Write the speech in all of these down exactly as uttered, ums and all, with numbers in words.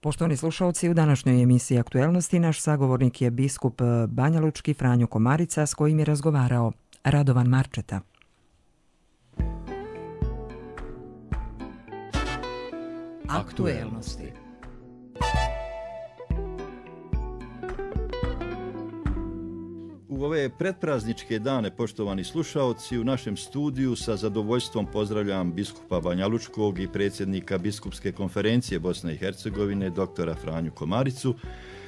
Poštovani slušalci, u današnjoj emisiji Aktuelnosti naš sagovornik je biskup banjalučki Franjo Komarica s kojim je razgovarao Radovan Marčeta. Aktuelnosti. U ove pretprazničke dane, poštovani slušaoci, u našem studiju sa zadovoljstvom pozdravljam biskupa banjalučkog i predsjednika Biskupske konferencije Bosne i Hercegovine, doktora Franju Komaricu,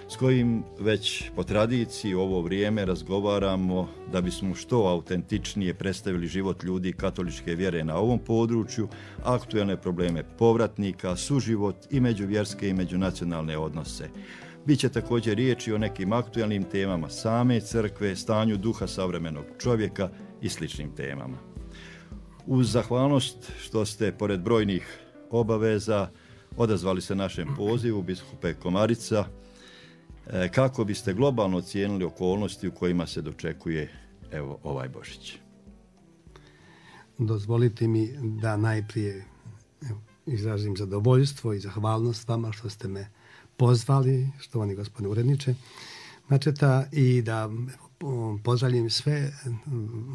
s kojim već po tradiciji u ovo vrijeme razgovaramo da bismo što autentičnije predstavili život ljudi katoličke vjere na ovom području, aktuelne probleme povratnika, suživot i međuvjerske i međunacionalne odnose. Biće također riječi o nekim aktualnim temama same crkve, stanju duha savremenog čovjeka i sličnim temama. Uz zahvalnost što ste, pored brojnih obaveza, odazvali se našem pozivu, biskupe Komarica, kako biste globalno ocijenili okolnosti u kojima se dočekuje evo ovaj Božić? Dozvolite mi da najprije evo, izrazim zadovoljstvo i zahvalnost vama što ste me pozvali, štovani gospodine uredniče Marčeta, i da evo, pozdravljam sve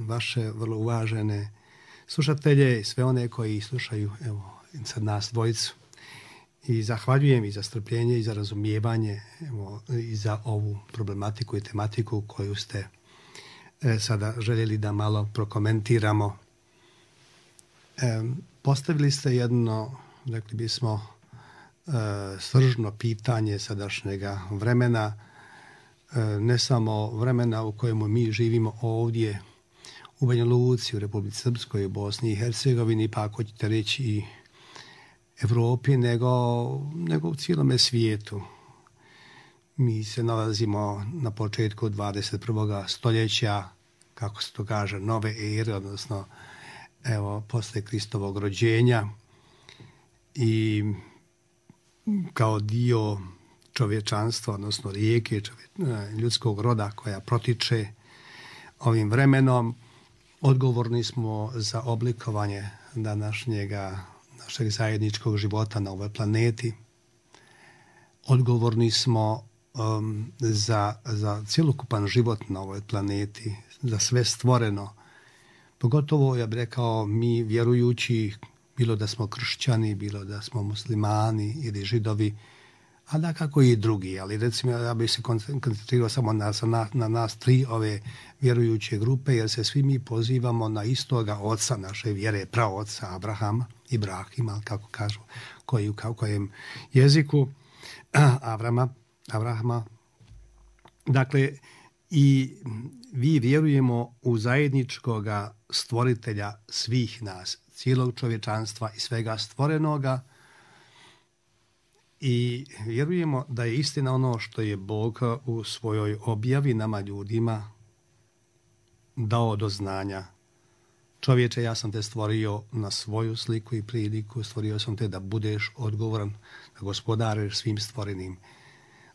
vaše vrlo uvažene slušatelje i sve one koji slušaju evo, sad nas dvojicu. I zahvaljujem i za strpljenje i za razumijevanje evo, i za ovu problematiku i tematiku koju ste e, sada željeli da malo prokomentiramo. E, postavili ste jedno, rekli bismo, e, sržno pitanje sadašnjega vremena, e, ne samo vremena u kojemu mi živimo ovdje u Banja Luci, u Republici Srpskoj, u Bosni i Hercegovini, pa ako ćete reći i Evropi, nego, nego u cijelome svijetu. Mi se nalazimo na početku dvadeset prvog stoljeća, kako se to kaže, nove ere, odnosno evo, posle Kristovog rođenja, i kao dio čovječanstva, odnosno rijeke čovje, ljudskog roda koja protiče ovim vremenom, odgovorni smo za oblikovanje današnjega našeg zajedničkog života na ovoj planeti. Odgovorni smo um, za, za cjelokupan život na ovoj planeti, za sve stvoreno. Pogotovo, ja bih rekao, mi vjerujući, bilo da smo kršćani, bilo da smo muslimani ili židovi, a da kako i drugi, ali recimo ja bih se koncentrirao samo na, na, na nas tri ove vjerujuće grupe, jer se svi mi pozivamo na istoga oca naše vjere, praoca Abrahama, Ibrahima, kako kažu, koji u kojem jeziku, Avrama, Avrahama. Dakle, i vi vjerujemo u zajedničkoga stvoritelja svih nas, cijelog čovječanstva i svega stvorenoga, i vjerujemo da je istina ono što je Bog u svojoj objavi nama ljudima dao do znanja. Čovječe, ja sam te stvorio na svoju sliku i priliku, stvorio sam te da budeš odgovoran, da gospodariš svim stvorenim,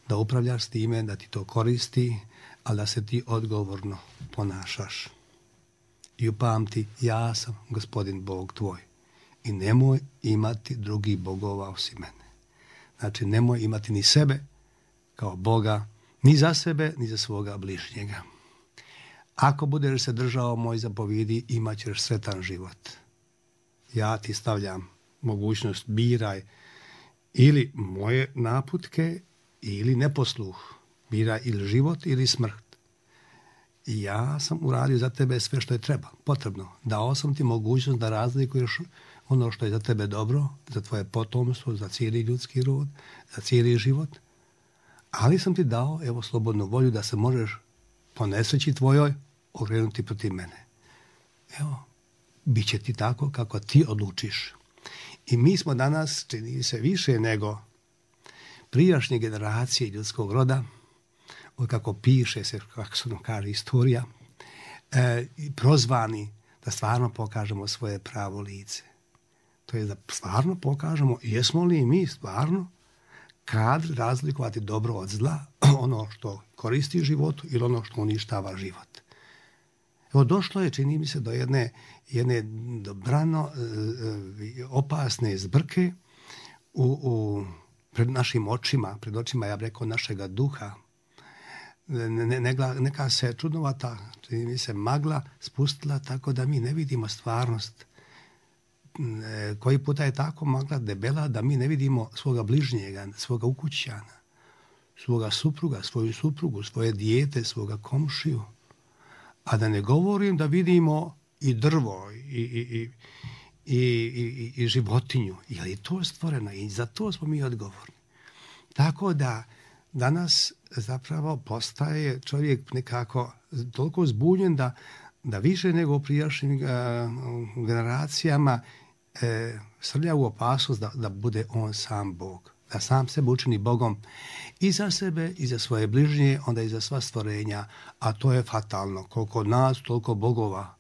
da upravljaš s time, da ti to koristi, ali da se ti odgovorno ponašaš. I upamti, ja sam gospodin Bog tvoj i nemoj imati drugih bogova osim mene. Znači, nemoj imati ni sebe kao Boga, ni za sebe, ni za svoga bližnjega. Ako budeš se držao moj zapovjedi, imat ćeš sretan život. Ja ti stavljam mogućnost, biraj ili moje naputke ili neposluh. Biraj ili život ili smrt. I ja sam uradio za tebe sve što je treba, potrebno. Dao sam ti mogućnost da razlikuješ ono što je za tebe dobro, za tvoje potomstvo, za cijeli ljudski rod, za cijeli život. Ali sam ti dao, evo, slobodnu volju da se možeš po nesreći tvojoj okrenuti protiv mene. Evo, bit će ti tako kako ti odlučiš. I mi smo danas, čini se više nego prijašnje generacije ljudskog roda, od kako piše se, kako se nam kaže istorija, e, prozvani da stvarno pokažemo svoje pravo lice. To je da stvarno pokažemo jesmo li mi stvarno kad razlikovati dobro od zla, ono što koristi životu ili ono što uništava život. Evo, došlo je, čini mi se, do jedne, jedne dobrano opasne zbrke u, u pred našim očima, pred očima, ja bih rekao, našega duha. Ne, ne, neka se čudnovata, čini mi se, magla spustila tako da mi ne vidimo stvarnost. E, koji puta je tako magla debela da mi ne vidimo svoga bližnjega, svoga ukućana, svoga supruga, svoju suprugu, svoje dijete, svoga komšiju. A da ne govorim da vidimo i drvo i, i, i, i, i, i životinju. Je li to stvoreno? I za to smo mi odgovorni. Tako da danas zapravo postaje čovjek nekako toliko zbunjen da, da više nego u prijašnjim uh, generacijama e, srlja u opasnost da, da bude on sam Bog. Da sam sebe učini Bogom i za sebe, i za svoje bližnje, onda i za sva stvorenja. A to je fatalno. Koliko nas, toliko bogova.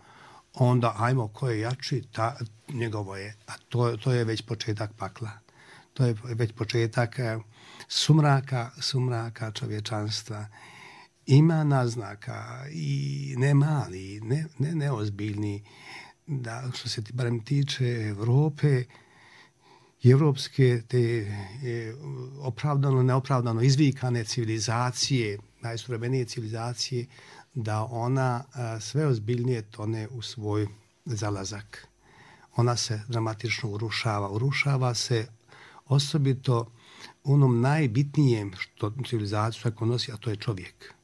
Onda, ajmo, ko je jači, ta, njegovo je. A to, to je već početak pakla. To je već početak sumraka, sumraka čovječanstva. Ima naznaka i ne mali, ne, ne neozbiljni, da što se barem tiče Evrope i evropske te je, opravdano, neopravdano izvikane civilizacije, najsuvremenije civilizacije, da ona a, sve ozbiljnije tone u svoj zalazak. Ona se dramatično urušava. Urušava se osobito onom najbitnijem što civilizaciju tako nosi, a to je čovjek.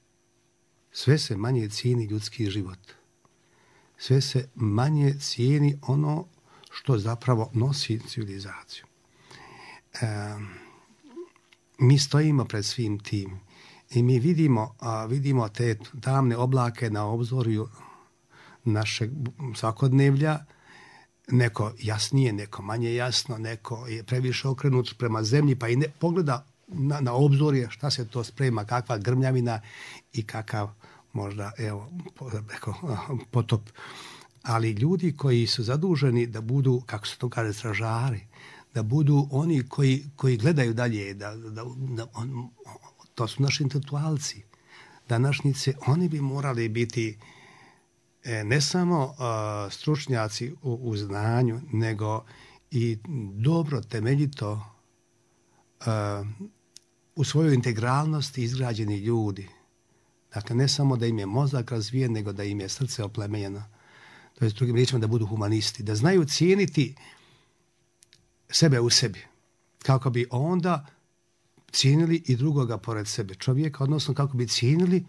Sve se manje cijeni ljudski život. Sve se manje cijeni ono što zapravo nosi civilizaciju. E, mi stojimo pred svim tim i mi vidimo, a, vidimo te tamne oblake na obzorju našeg svakodnevlja, neko jasnije, neko manje jasno, neko je previše okrenut prema zemlji, pa i ne pogleda na, na obzorje šta se to sprema, kakva grmljavina i kakav možda, evo, potop. Ali ljudi koji su zaduženi da budu, kako se to kaže, stražari, da budu oni koji, koji gledaju dalje, da, da, da on, to su naši intelektualci, današnjice, oni bi morali biti e, ne samo uh, stručnjaci u, u znanju, nego i dobro, temeljito uh, u svojoj integralnosti izgrađeni ljudi. Dakle, ne samo da im je mozak razvijen, nego da im je srce oplemenjeno. To je s drugim riječima da budu humanisti, da znaju cijeniti sebe u sebi, kako bi onda cijenili i drugoga pored sebe, čovjeka, odnosno kako bi cijenili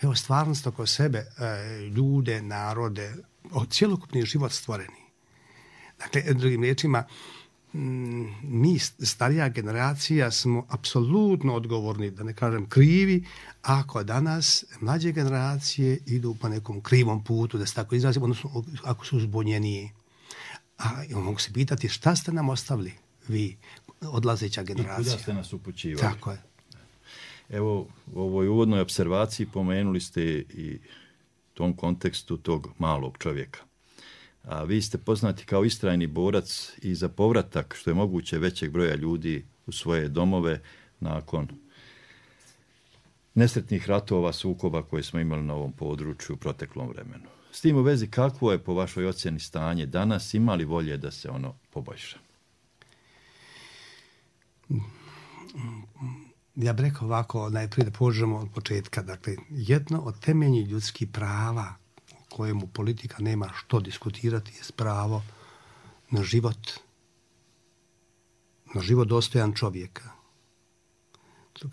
evo, stvarnost oko sebe, ljude, narode, cjelokupni život stvoreni. Dakle, drugim riječima, mi, starija generacija, smo apsolutno odgovorni, da ne kažem krivi, ako danas mlađe generacije idu po nekom krivom putu, da se tako izrazimo, odnosno ako su uzbunjeniji. A mogu se pitati šta ste nam ostavili vi, odlazeća generacija. I kuda ste nas upućivali. Tako je. Evo, u ovoj uvodnoj observaciji pomenuli ste i tom kontekstu tog malog čovjeka. A vi ste poznati kao istrajni borac i za povratak, što je moguće, većeg broja ljudi u svoje domove nakon nesretnih ratova, sukoba koje smo imali na ovom području u proteklom vremenu. S tim u vezi, kakvo je po vašoj ocjeni stanje danas, ima li volje da se ono poboljša? Ja bih rekao ovako, najprije da pođemo od početka. Dakle, jedno od temeljnih ljudskih prava kojemu politika nema što diskutirati je pravo na život, na život dostojan čovjeka.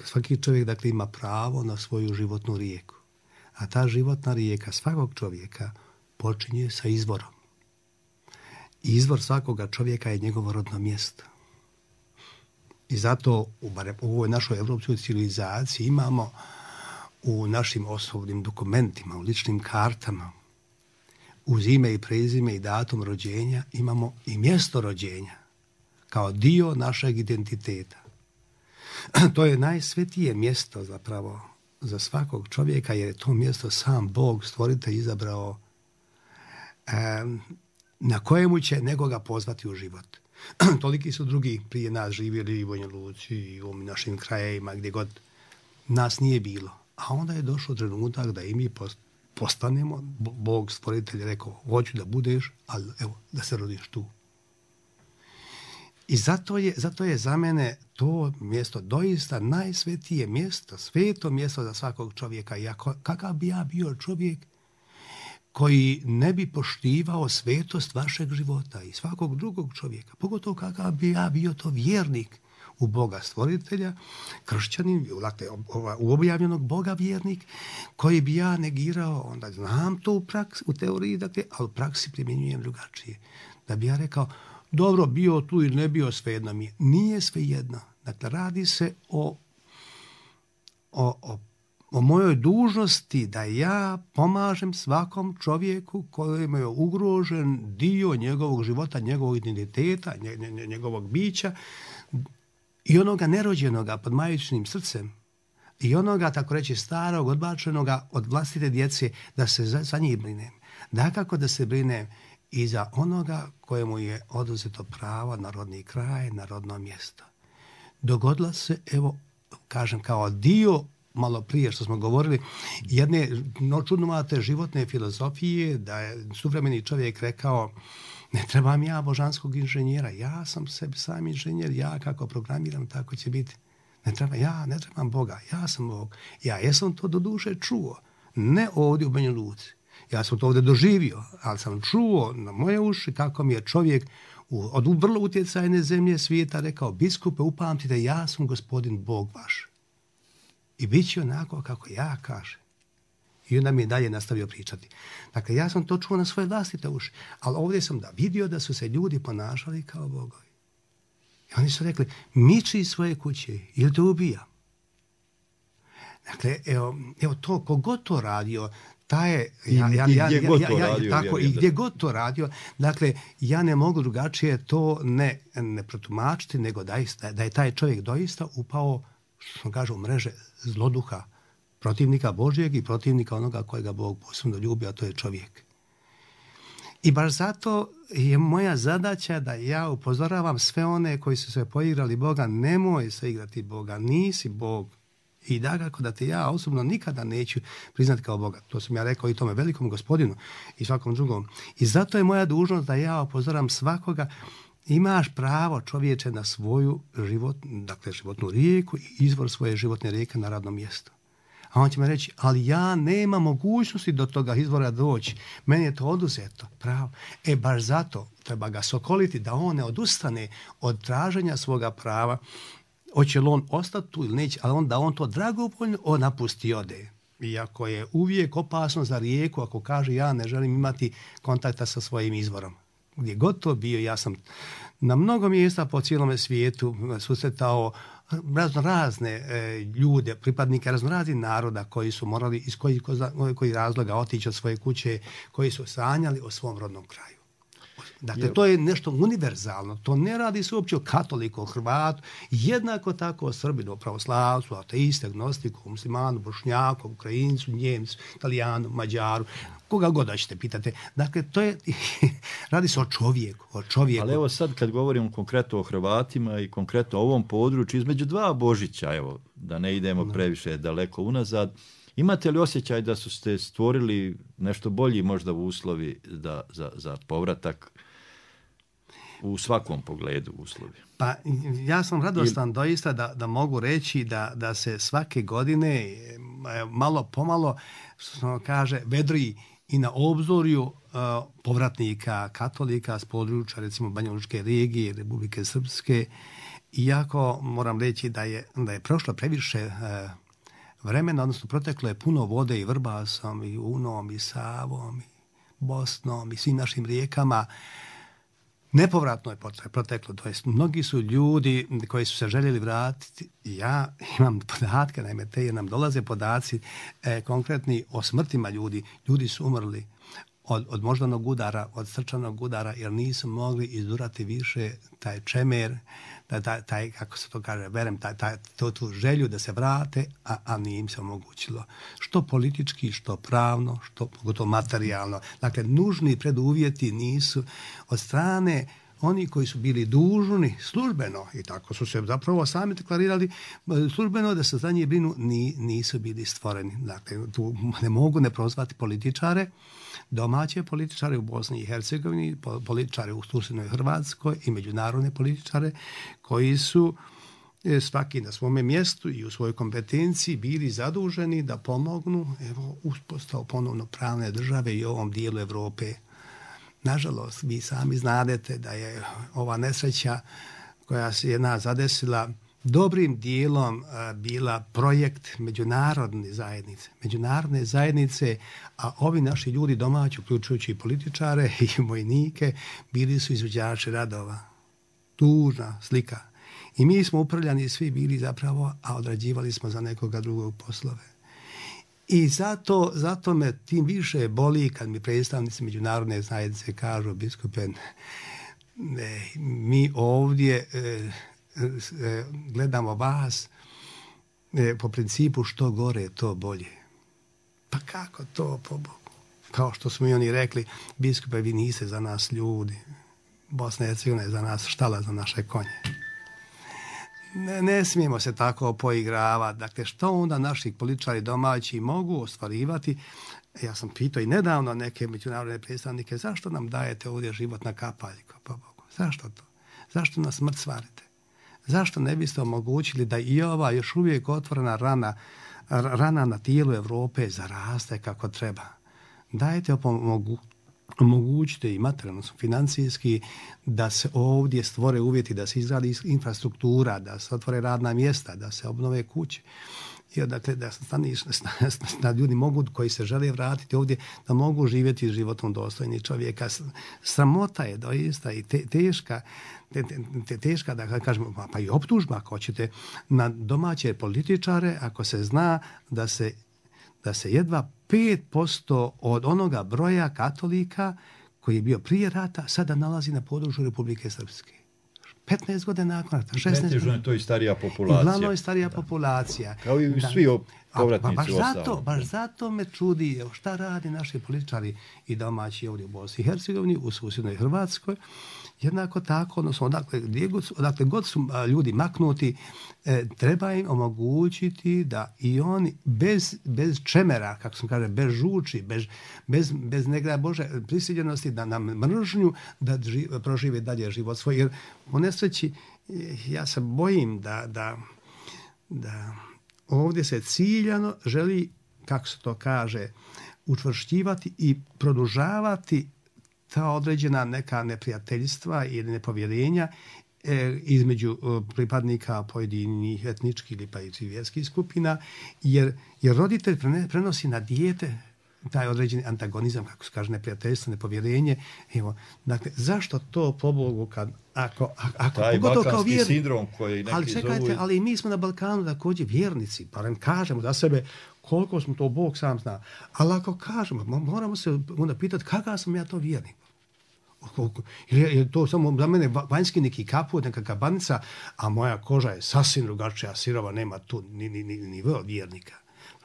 Svaki čovjek, dakle, ima pravo na svoju životnu rijeku. A ta životna rijeka svakog čovjeka počinje sa izvorom. I izvor svakoga čovjeka je njegovo rodno mjesto. I zato u, u ovoj našoj evropskoj civilizaciji imamo u našim osobnim dokumentima, u ličnim kartama, uz ime i prezime i datum rođenja imamo i mjesto rođenja kao dio našeg identiteta. To je najsvetije mjesto zapravo za svakog čovjeka, jer je to mjesto sam Bog, stvoritelj, izabrao eh, na kojemu će nekoga pozvati u život. Toliki su drugi prije nas živjeli i u Banja Luci i u našim krajevima, gdje god nas nije bilo. A onda je došao trenutak da i mi postanemo, Bog stvoritelj rekao, hoću da budeš, ali evo, da se rodiš tu. I zato je, zato je za mene to mjesto doista najsvetije mjesto, sveto mjesto za svakog čovjeka. I ako, kakav bi ja bio čovjek koji ne bi poštivao svetost vašeg života i svakog drugog čovjeka, pogotovo kakav bi ja bio to vjernik u Boga stvoritelja, kršćanin, dakle, u objavljenog Boga vjernik, koji bi ja negirao, onda znam to u, praksi, u teoriji, dakle, ali u praksi primjenjujem drugačije. Da bi ja rekao, dobro, bio tu ili ne bio, svejedno mi je. Nije svejedno. Dakle, radi se o, o, o, o mojoj dužnosti da ja pomažem svakom čovjeku kojem je ugrožen dio njegovog života, njegovog identiteta, njegovog bića i onoga nerođenoga pod majčinim srcem i onoga, tako reći, starog, odbačenoga od vlastite djece, da se za, za njih brinem. Dakako da se brinem i za onoga kojemu je oduzeto pravo na rodni kraj, na rodno mjesto. Dogodila se, evo, kažem, kao dio, malo prije što smo govorili, jedne no, čudnovate životne filozofije, da je suvremeni čovjek rekao, ne trebam ja božanskog inženjera, ja sam sebi sam inženjer, ja kako programiram, tako će biti. Ne treba, ja ne trebam Boga, ja sam Bog. Ja jesam to do duše čuo, ne ovdje u Banja Luci. Ja sam to ovdje doživio, ali sam čuo na moje uši kako mi je čovjek u, od vrlo utjecajne zemlje svijeta rekao, biskupe, upamtite, ja sam gospodin Bog vaš. I bit će onako kako ja kažem. I onda mi je dalje nastavio pričati. Dakle, ja sam to čuo na svoje vlastite uši, ali ovdje sam da vidio da su se ljudi ponašali kao bogovi. I oni su rekli, miči iz svoje kuće ili te ubija. Dakle, evo, evo to, kogod to radio, ta je, ja, ja, ja, ja, ja, ja, ja, tako, i gdje god to radio, dakle, ja ne mogu drugačije to ne, ne protumačiti, nego da, da je taj čovjek doista upao, što kaže, u mreže zloduha, protivnika Božjeg i protivnika onoga kojega Bog posebno ljubi, a to je čovjek. I baš zato je moja zadaća da ja upozoravam sve one koji su se poigrali Boga, nemoj se igrati Boga, nisi Bog. I dakako da te ja osobno nikada neću priznati kao Boga. To sam ja rekao i tome velikom gospodinu i svakom drugom. I zato je moja dužnost da ja upozoram svakoga, imaš pravo, čovječe, na svoju život, dakle životnu rijeku i izvor svoje životne rijeke na radnom mjestu. A on će me reći, ali ja nemam mogućnosti do toga izvora doći. Meni je to oduzeto, pravo. E, baš zato treba ga sokoliti da on ne odustane od traženja svoga prava. Hoće li on ostati tu ili neće, ali on, da on to dragovoljno on napusti ode. Iako je uvijek opasno za rijeku ako kaže ja ne želim imati kontakta sa svojim izvorom. Gdje god to bio, ja sam na mnogo mjesta po cijelome svijetu susretao razno razne e, ljude, pripadnike razno raznih naroda koji su morali iz kojih koji razloga otići od svoje kuće, koji su sanjali o svom rodnom kraju. Dakle, to je nešto univerzalno. To ne radi se uopće o katoliku, o Hrvatu, jednako tako o Srbinu, pravoslavcu, ateistu, agnostiku, muslimanu, bošnjaku, Ukrajincu, Njemcu, Italijanu, Mađaru, koga god da ćete pitate. Dakle, to je, radi se o čovjeku, o čovjeku. Ali evo sad kad govorimo konkretno o Hrvatima i konkretno o ovom području, između dva Božića, evo, da ne idemo no. previše daleko unazad, imate li osjećaj da su ste stvorili nešto bolji možda u uslovi da, za, za povratak u svakom pogledu uslovi? Pa ja sam radostan Il... doista da, da mogu reći da, da se svake godine malo pomalo, što se kaže, vedri i na obzorju uh, povratnika katolika s područja recimo Banjalučke regije, Republike Srpske, iako moram reći da je, da je prošlo previše uh, vremena, odnosno proteklo je puno vode i Vrbasom, i Unom, i Savom, i Bosnom, i svim našim rijekama. Nepovratno je proteklo, to jest mnogi su ljudi koji su se željeli vratiti. Ja imam podatke, naime te jer nam dolaze podaci e, konkretni o smrtima ljudi. Ljudi su umrli od, od moždanog udara, od srčanog udara, jer nisu mogli izdurati više taj čemer, taj, taj, taj kako se to kaže, verem, taj, taj, to, tu želju da se vrate, a, a nije im se omogućilo. Što politički, što pravno, što pogotovo materijalno. Dakle, nužni preduvjeti nisu od strane oni koji su bili dužni službeno, i tako su se zapravo sami deklarirali službeno da se za njih brinu, ni, nisu bili stvoreni. Dakle, tu ne mogu ne prozvati političare, domaće političare u Bosni i Hercegovini, političare u susjednoj Hrvatskoj i međunarodne političare koji su svaki na svome mjestu i u svojoj kompetenciji bili zaduženi da pomognu evo, uspostavu ponovno pravne države i ovom dijelu Europe. Nažalost, vi sami znadete da je ova nesreća koja se je nas zadesila dobrim dijelom bila projekt međunarodne zajednice. Međunarodne zajednice, a ovi naši ljudi domaći, uključujući i političare i vojnike, bili su izvođači radova. Tužna slika. I mi smo upravljani svi bili zapravo, a odrađivali smo za nekoga drugog poslove. I zato, zato me tim više boli kad mi predstavnici međunarodne zajednice kažu, biskupe, ne, mi ovdje e, e, gledamo vas e, po principu što gore, to bolje. Pa kako to, po Bogu? Kao što smo i oni rekli, biskupe, vi niste za nas ljudi. Bosna i Hercegovina je za nas štala za naše konje. Ne, ne smijemo se tako poigravati. Dakle, što onda naši političari domaći mogu ostvarivati? Ja sam pitao i nedavno neke međunarodne predstavnike, zašto nam dajete ovdje život na kapaljku? Pa Bogu, zašto to? Zašto nas smrt svarite? Zašto ne biste omogućili da i ova još uvijek otvorena rana, rana na tijelu Europe zaraste kako treba? Dajte opomogu. Omogućite i materijalno, financijski, da se ovdje stvore uvjeti, da se izradi infrastruktura, da se otvore radna mjesta, da se obnove kuće. I dakle, da stani, da ljudi mogu, koji se žele vratiti ovdje, da mogu živjeti životom dostojni čovjeka. Sramota je doista i te, teška, te, te, teška, da kažemo, pa i optužba, ako hoćete, na domaće političare, ako se zna da se da se jedva pet posto od onoga broja katolika koji je bio prije rata sada nalazi na području Republike Srpske. petnaest godina nakon rata, šesnaest godina. To je starija populacija. Uglavnom je starija da. populacija. Kao i da. svi povratnici baš ostalo. zato, baš zato me čudi šta radi naši političari i domaći ovdje u Bosni i Hercegovini, u susjednoj Hrvatskoj. Jednako tako, odnosno odakle, odakle god su ljudi maknuti, e, treba im omogućiti da i oni bez, bez čemera, kako sam kaže, bez žuči, bez, bez, bez negra Bože prisiljenosti, da nam mržnju, da ži, prožive dalje život svoj. Jer u nesreći ja se bojim da, da, da ovdje se ciljano želi, kako se to kaže, učvršćivati i produžavati ta određena neka neprijateljstva ili nepovjerenja e, između e, pripadnika pojedinih etničkih ili pa i vjerskih skupina, jer, jer roditelj prenosi na dijete taj određeni antagonizam, kako se kaže, neprijateljstvo, nepovjerenje. Evo, dakle, zašto to po Bogu kad ako ako taj balkanski vjer... sindrom koji neki ali čekajte, zovu... ali mi smo na Balkanu također vjernici, barem kažemo za sebe koliko smo to Bog sam zna. Ali ako kažemo, moramo se onda pitati kakav sam ja to vjernik. Ili je to samo za mene vanjski neki kaput, neka kabanica, a moja koža je sasvim drugačija, sirova, nema tu ni, ni, ni, ni vjernika.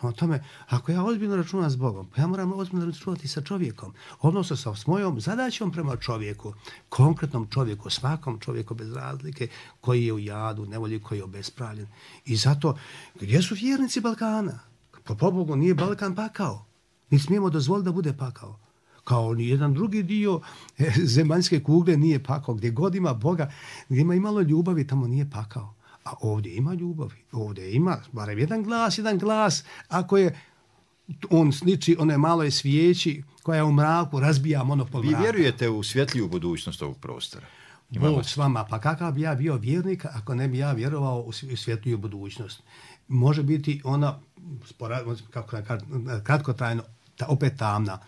O tome, ako ja ozbiljno računam s Bogom, pa ja moram ozbiljno računati sa čovjekom, odnosno sa mojom zadaćom prema čovjeku, konkretnom čovjeku, svakom čovjeku bez razlike, koji je u jadu, nevolji, koji je obespravljen. I zato, gdje su vjernici Balkana? Po Bogu nije Balkan pakao. Mi smijemo dozvoliti da bude pakao. Kao ni jedan drugi dio zemaljske kugle nije pakao. Gdje god ima Boga, gdje ima imalo ljubavi, tamo nije pakao. A ovdje ima ljubavi, ovdje ima barem jedan glas, jedan glas, ako je on sliči one maloj svijeći koja je u mraku, razbija monopol mraka. Vi vjerujete u svjetliju budućnost ovog prostora? Imamo Bog s vama, pa kakav bi ja bio vjernik ako ne bi ja vjerovao u svjetliju budućnost? Može biti ona, kako kratkotrajno, opet tamna.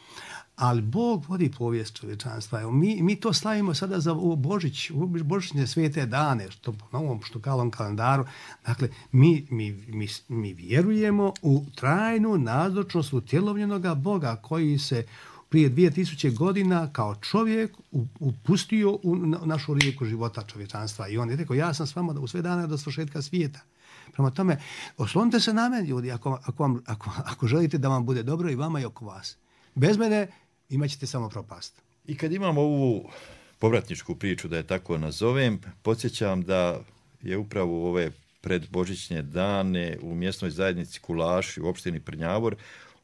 Ali Bog vodi povijest čovječanstva. Mi, mi to slavimo sada za Božić, Božićne svete dane, što po novom štukalom kalendaru. Dakle, mi, mi, mi, mi vjerujemo u trajnu nazočnost utjelovljenoga Boga koji se prije dvije tisuće godina kao čovjek upustio u našu rijeku života čovječanstva. I on je rekao, ja sam s vama u sve dane do svršetka svijeta. Prema tome, oslonite se na mene, ljudi, ako, ako, vam, ako, ako želite da vam bude dobro i vama i oko vas. Bez mene imat ćete samo propast. I kad imamo ovu povratničku priču, da je tako nazovem. Podsjećam da je upravo u ove predbožićne dane u mjesnoj zajednici Kulaši u opštini Prnjavor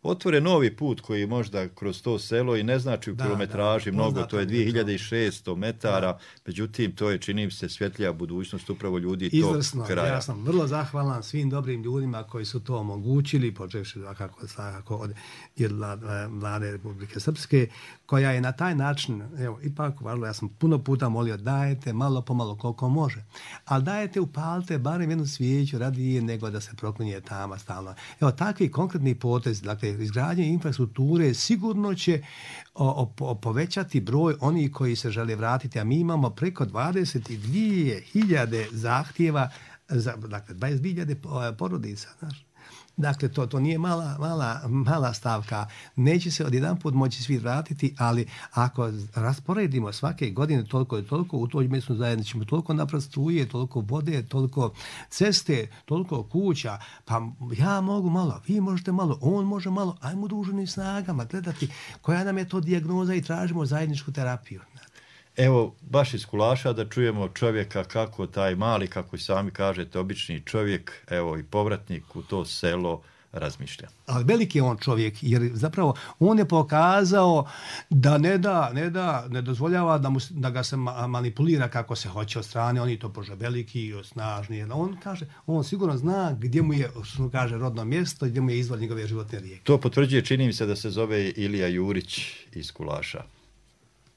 otvore novi put koji možda kroz to selo i ne znači u da, kilometraži da, mnogo, to je dvije hiljade šesto metara, da. Međutim to je, čini mi se, svjetlija budućnost upravo ljudi Izvrsno, tog kraja. Ja sam vrlo zahvalan svim dobrim ljudima koji su to omogućili, počevši svakako, svakako od Vlade Republike Srpske, koja je na taj način, evo, ipak, važno, ja sam puno puta molio, dajete malo pomalo koliko može, ali dajete, upalite barem jednu svijeću radije nego da se proklinje tama stalno. Evo, takvi konkretni potezi, dakle, izgradnje infrastrukture sigurno će o, o, povećati broj onih koji se žele vratiti, a mi imamo preko dvadeset dvije hiljade zahtjeva, za, dakle, dvadeset dvije hiljade porodica, znaš. Dakle, to, to nije mala, mala, mala stavka. Neće se odjedanput moći svi vratiti, ali ako rasporedimo svake godine toliko i toliko, u toj mjesnoj zajednici ćemo toliko napraviti struje, toliko vode, toliko ceste, toliko kuća, pa ja mogu malo, vi možete malo, on može malo, ajmo druženim snagama gledati koja nam je to dijagnoza i tražimo zajedničku terapiju. Evo, baš iz Kulaša da čujemo čovjeka kako taj mali, kako i sami kažete, obični čovjek, evo i povratnik u to selo razmišlja. Ali veliki je on čovjek, jer zapravo on je pokazao da ne da, ne da, ne dozvoljava da, mu, da ga se manipulira kako se hoće od strane, oni to bože veliki, snažni. On kaže, on sigurno zna gdje mu je, što kaže, rodno mjesto i gdje mu je izvor njegove životne rijeke. To potvrđuje, čini mi se da se zove Ilija Jurić iz Kulaša.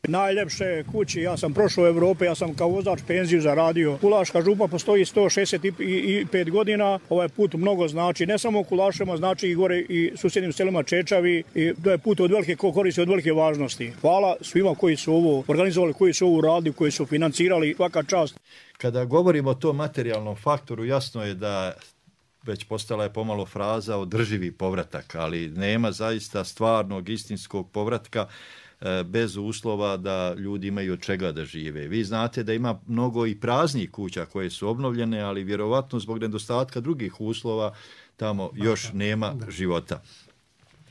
Najljepše kući, ja sam prošao u Evrope, ja sam kao vozač penziju zaradio. Kulaška župa postoji sto šezdeset pet godina, ovaj put mnogo znači, ne samo u Kulašima, znači i gore i susjednim selima Čečavi, i to je put od velike koristi, od velike važnosti. Hvala svima koji su ovo organizovali, koji su ovo uradili, koji su financirali, svaka čast. Kada govorimo o tom materijalnom faktoru, jasno je da već postala je pomalo fraza održivi povratak, ali nema zaista stvarnog, istinskog povratka bez uslova da ljudi imaju od čega da žive. Vi znate da ima mnogo i praznih kuća koje su obnovljene, ali vjerovatno zbog nedostatka drugih uslova tamo još nema života.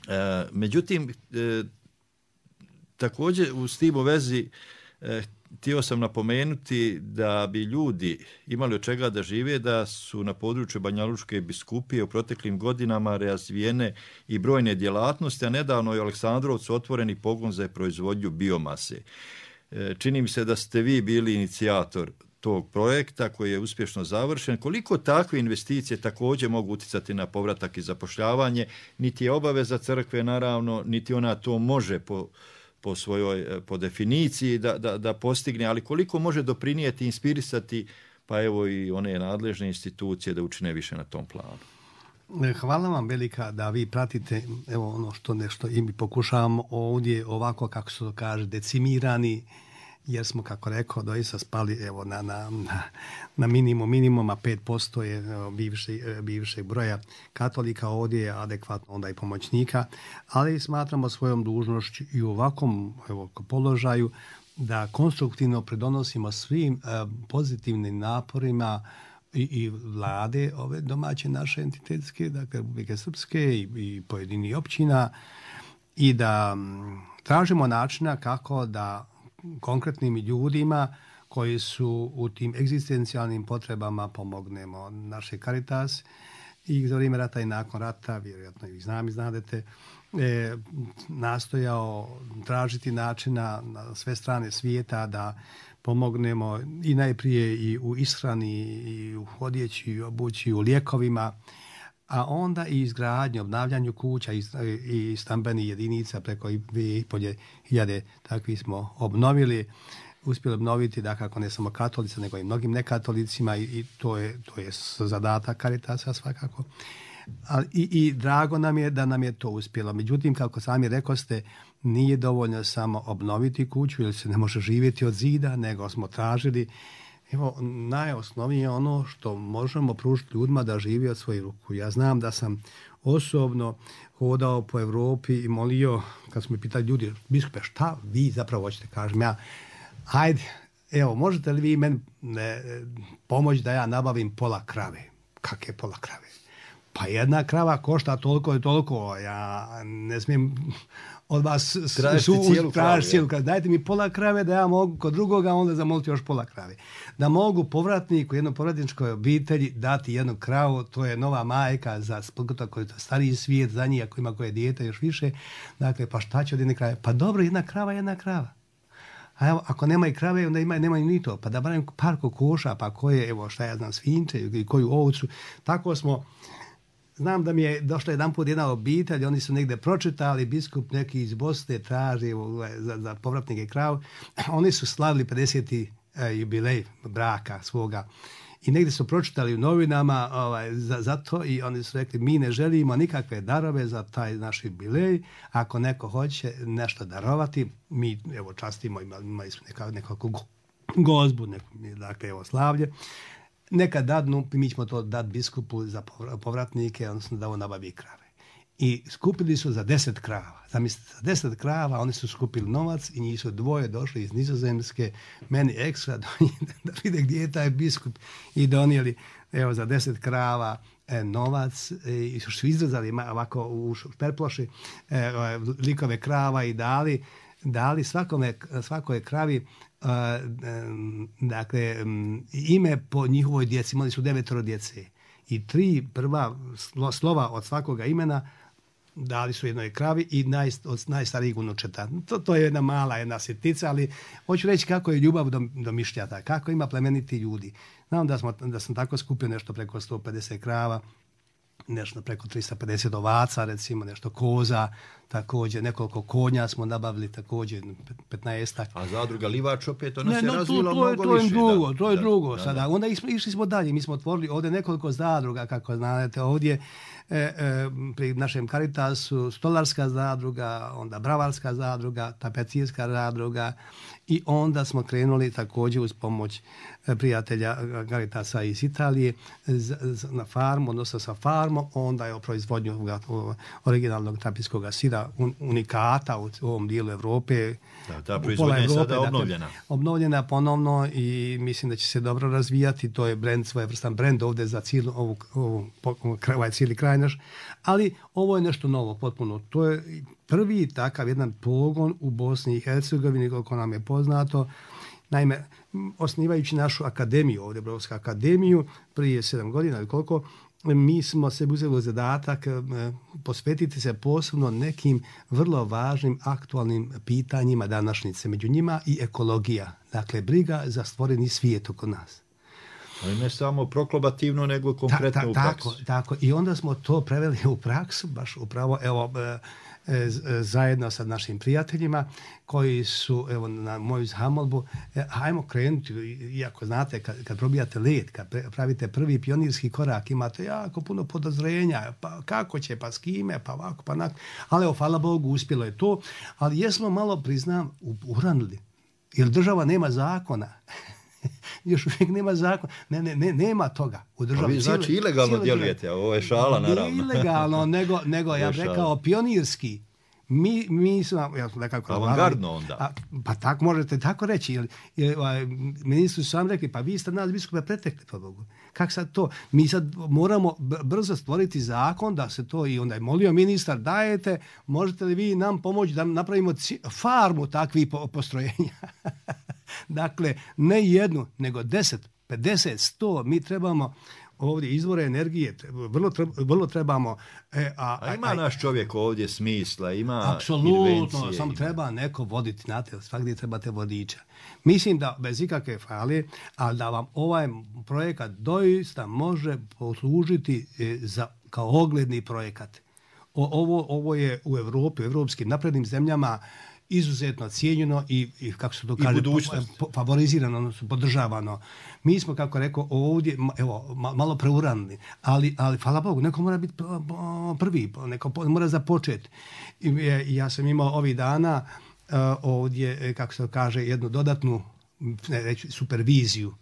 E, međutim, e, također u s tim u vezi e, htio sam napomenuti da bi ljudi imali od čega da žive, da su na području Banjalučke biskupije u proteklim godinama razvijene i brojne djelatnosti, a nedavno je u Aleksandrovcu otvoreni pogon za proizvodnju biomase. Čini mi se da ste vi bili inicijator tog projekta koji je uspješno završen. Koliko takve investicije također mogu utjecati na povratak i zapošljavanje? Niti je obaveza crkve, naravno, niti ona to može po po svojoj, po definiciji da, da, da postigne, ali koliko može doprinijeti, inspirisati, pa evo i one nadležne institucije da učine više na tom planu. Hvala vam velika da vi pratite evo ono što nešto i mi pokušavamo ovdje ovako, kako se to kaže, decimirani, jer smo, kako rekao, doista spali evo na, na, na minimum, minimuma pet posto je bivši, bivšeg broja katolika, ovdje je adekvatno onda i pomoćnika, ali smatramo svojom dužnošću i u ovakvom evo, položaju da konstruktivno pridonosimo svim eh, pozitivnim naporima i, i vlade ove domaće naše entitetske, dakle Republike Srpske i, i pojedini općina, i da m, tražimo načina kako da konkretnim ljudima koji su u tim egzistencijalnim potrebama pomognemo. Naše Caritas i za vrijeme rata i nakon rata, vjerojatno i znam i znadete, e, nastojao tražiti načina na sve strane svijeta da pomognemo i najprije i u ishrani, i u odjeći, i u obući, i u lijekovima, a onda i izgradnju, obnavljanju kuća i, i stambenih jedinica, preko dvije i pol hiljade takvi smo obnovili, uspjeli obnoviti, da kako ne samo katolica, nego i mnogim nekatolicima, i, i to je to je zadatak Caritasa svakako. Ali i, i drago nam je da nam je to uspjelo. Međutim, kako sami rekoste, nije dovoljno samo obnoviti kuću, jer se ne može živjeti od zida, nego smo tražili, evo, najosnovnije ono što možemo pružiti ljudima da živi od svoje ruku. Ja znam da sam osobno hodao po Evropi i molio, kad su me pitali ljudi, biskupe, šta vi zapravo hoćete? Kažem ja, hajde, evo, možete li vi meni ne, pomoći da ja nabavim pola krave? Kakve pola krave? Pa jedna krava košta toliko i toliko, ja ne smijem od vas tražiti su, cijelu kravu. cijelu kravu. Dajte mi pola krave da ja mogu kod drugoga onda zamoliti još pola krave. Da mogu povratniku, jednoj povratničkoj obitelji dati jednu kravu, to je nova majka za koji je stariji svijet, za njih ako ima koje dijete još više. Dakle, pa šta će od jedne krave? Pa dobro, jedna krava, jedna krava. A evo, ako nema i krave, onda ima, nemaju ni to. Pa da barem par kokoša, pa koje, evo šta ja znam, svinče i koju ovcu. Tako smo. Znam da mi je došla jedan put jedna obitelj, oni su negdje pročitali, biskup neki iz Bosne traži za, za povratnike krav. Oni su slavili pedeseti eh, jubilej braka svoga. I negdje su pročitali u novinama ovaj, za, za to i oni su rekli mi ne želimo nikakve darove za taj naš jubilej. Ako neko hoće nešto darovati, mi evo častimo, imali smo neka, nekakvu gozbu, neku, dakle evo slavlje. Neka dadnu, mi ćemo to dati biskupu za povratnike, odnosno da on nabavi krave. I skupili su za deset krava. Zamislite, za deset krava oni su skupili novac i njih su dvoje došli iz Nizozemske, meni ekstra, da vide gdje je taj biskup i donijeli evo, za deset krava e, novac i su izrezali ovako u šperploši e, likove krava i dali, dali svakome, svakoj kravi Uh, um, dakle um, ime po njihovoj djeci. Imali su devetoro djece i tri prva slo, slova od svakoga imena dali su jednoj kravi i naj, od najstarijih unučeta. To, to je jedna mala jedna sitnica, ali hoću reći kako je ljubav do, do mišljata, kako ima plemeniti ljudi. Znam da, smo, da sam tako skupio nešto preko sto pedeset krava, nešto preko tristo pedeset ovaca, recimo nešto koza, također nekoliko konja smo nabavili, također petnaestak. A zadruga Livač opet ona ne, se no, razvila to, mnogo to je više. Drugo, da, to je da, drugo da, sada. Da. Onda išli, išli smo dalje, mi smo otvorili ovdje nekoliko zadruga, kako znate, ovdje e, e, pri našem Caritasu stolarska zadruga, onda bravarska zadruga, tapecijska zadruga i onda smo krenuli također uz pomoć prijatelja Caritasa iz Italije z, z, na farmu, odnosno sa farmom, onda je o proizvodnju originalnog trapijskog sira un, unikata u, u ovom dijelu Evrope. Da, ta proizvodnja je sada obnovljena. Dakle, obnovljena ponovno i mislim da će se dobro razvijati. To je brand, svojevrstan brand ovdje za cijelu ovu, ovu, ovaj cijeli kraj naš. Ali ovo je nešto novo potpuno. To je prvi takav jedan pogon u Bosni i Hercegovini, koliko nam je poznato. Naime, osnivajući našu akademiju, ovdje Brodska akademiju, prije sedam godina ili koliko, mi smo se uzeli zadatak eh, posvetiti se posebno nekim vrlo važnim aktualnim pitanjima današnjice. Među njima i ekologija, dakle briga za stvoreni svijet oko nas. Ali ne samo proklabativno, nego konkretno ta, ta, u praksu. Tako, tako. I onda smo to preveli u praksu, baš upravo, evo, eh, zajedno sa našim prijateljima koji su evo na moju zamolbu e, hajmo krenuti, iako znate kad, kad probijate led, kad pravite prvi pionirski korak imate jako puno podozrenja, pa kako će, pa s kime, pa ovako, pa onako, ali evo hvala Bogu uspjelo je to, ali jesmo malo priznam uranili, jer država nema zakona. Još uvijek nema zakon, ne, ne, ne, nema toga u državi. Vi znači cijeli, ilegalno cijeli djelujete, a ovo je šala naravno. Ne ilegalno, nego, nego ja bih rekao pionirski. Mi, mi smo, ja sam nekako... Avangardno onda. A, pa tako možete tako reći. Jer, jer, ministri su sam rekli, pa vi ste nas biskupe pretekli, po Bogu. Kako sad to? Mi sad moramo brzo stvoriti zakon da se to i onda je molio ministar, dajete, možete li vi nam pomoći da napravimo farmu takvih postrojenja? Dakle, ne jednu, nego deset, pedeset, sto, mi trebamo ovdje izvore energije, vrlo, treba, vrlo trebamo... E, a, a ima a, naš čovjek ovdje smisla, ima apsolutno, invencije. samo treba neko voditi, znate, svakdje trebate vodiča. Mislim da bez ikakve fale, ali da vam ovaj projekat doista može poslužiti za, kao ogledni projekat. O, ovo, ovo je u Evropi, u evropskim naprednim zemljama izuzetno cijenjeno i, i kako se to kaže, po, favorizirano, odnosno podržavano. Mi smo, kako rekao, ovdje, evo, malo preuranili, ali, ali hvala Bogu, neko mora biti prvi, neko mora započeti. I, ja sam imao ovih dana uh, ovdje, kako se to kaže, jednu dodatnu reći, superviziju.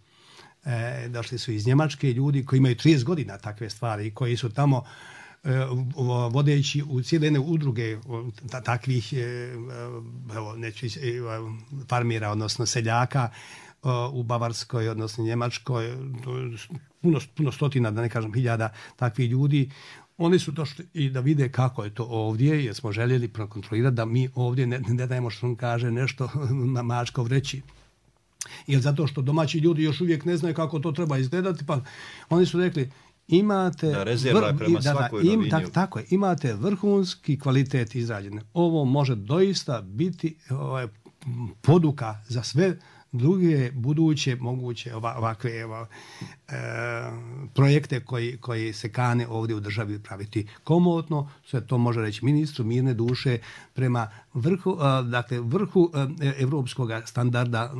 E, došli su iz Njemačke ljudi koji imaju trideset godina takve stvari i koji su tamo vodeći u cijele jedne udruge takvih evo, neću, farmira, odnosno seljaka, u Bavarskoj, odnosno Njemačkoj, puno, puno stotina, da ne kažem hiljada takvih ljudi. Oni su došli i da vide kako je to ovdje, jer smo željeli prokontrolirati da mi ovdje ne, ne dajemo što on kaže nešto na mačkov reći. Jer zato što domaći ljudi još uvijek ne znaju kako to treba izgledati, pa oni su rekli imate da, rezerva prema da, svakoj da, im, novini. tak, tako je, imate vrhunski kvalitet izrađene. Ovo može doista biti ovaj, poduka za sve druge buduće moguće ovakve evo, e, projekte koji, koji se kane ovdje u državi praviti komotno. Sve to može reći ministru mirne duše prema vrhu, e, dakle, vrhu e, evropskog standarda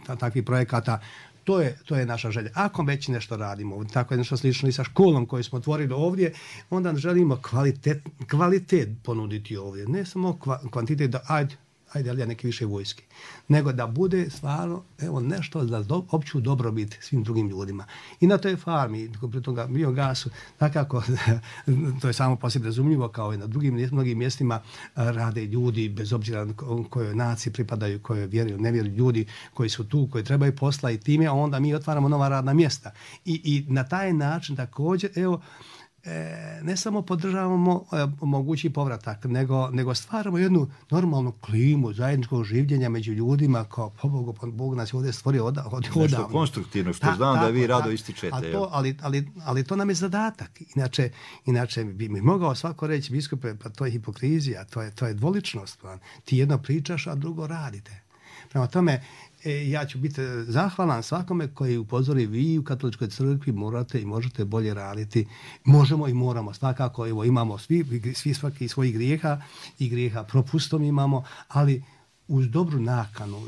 e, takvih projekata. To je, to je naša želja. Ako već nešto radimo, tako je nešto slično i sa školom koju smo otvorili ovdje, onda želimo kvalitet, kvalitet ponuditi ovdje. Ne samo kvantitet da ajde, ajde, ali ja neke više vojske, nego da bude stvarno evo, nešto za do, opću dobrobit svim drugim ljudima. I na toj farmi, pri toga biogasu, takako, to je samo posebno razumljivo, kao i na drugim mnogim mjestima rade ljudi, bez obzira kojoj naciji pripadaju, kojoj vjeruju, ne vjeruju, ljudi koji su tu, koji trebaju posla i time, a onda mi otvaramo nova radna mjesta. I, i na taj način također, evo, E, ne samo podržavamo e, mogući povratak, nego, nego stvaramo jednu normalnu klimu zajedničkog življenja među ljudima, kao po Bogu, po Bog nas je ovdje stvorio od, od, odavno. Nešto konstruktivno, što Ta, znam tako, da vi rado ističete. To, ali, ali, ali to nam je zadatak. Inače, inače bi mi mogao svako reći, biskupe, pa to je hipokrizija, to je, to je dvoličnost. Pa. Ti jedno pričaš, a drugo radite. Prema tome, E, ja ću biti zahvalan svakome koji upozori vi u Katoličkoj crkvi morate i možete bolje raditi. Možemo i moramo. Svakako, evo, imamo svi, svi svaki svojih grijeha i grijeha propustom imamo, ali uz dobru nakanu,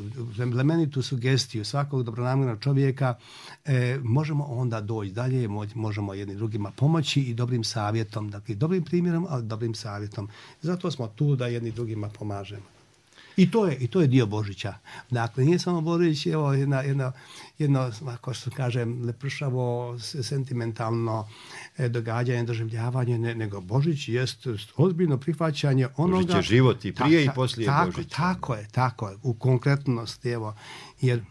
plemenitu sugestiju svakog dobronamjernog čovjeka e, možemo onda doći dalje, možemo jedni drugima pomoći i dobrim savjetom, dakle dobrim primjerom, ali dobrim savjetom. Zato smo tu da jedni drugima pomažemo. I to je, i to je dio Božića. Dakle, nije samo Božić, evo, jedna, jedna, jedno, ako što kažem, lepršavo, sentimentalno e, događanje, doživljavanje, ne, nego Božić jest ozbiljno prihvaćanje onoga... Božić je život i prije ta, ta, i poslije tako, Božića. Tako je, tako je, u konkretnosti, evo, jer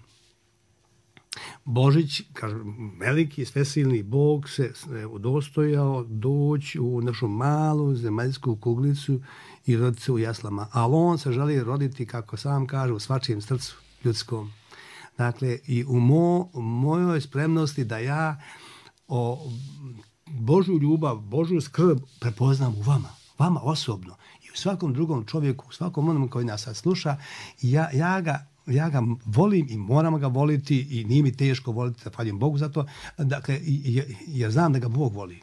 Božić, kažem, veliki, svesilni Bog se udostojao doći u našu malu zemaljsku kuglicu i roditi se u jaslama. Ali on se želi roditi, kako sam kaže, u svačijem srcu ljudskom. Dakle, i u mo, mojoj spremnosti da ja o Božju ljubav, Božju skrb prepoznam u vama, vama osobno i u svakom drugom čovjeku, u svakom onom koji nas sad sluša, ja, ja ga Ja ga volim i moram ga voliti i nije mi teško voliti, zahvaljujem Bogu za to, dakle, jer znam da ga Bog voli.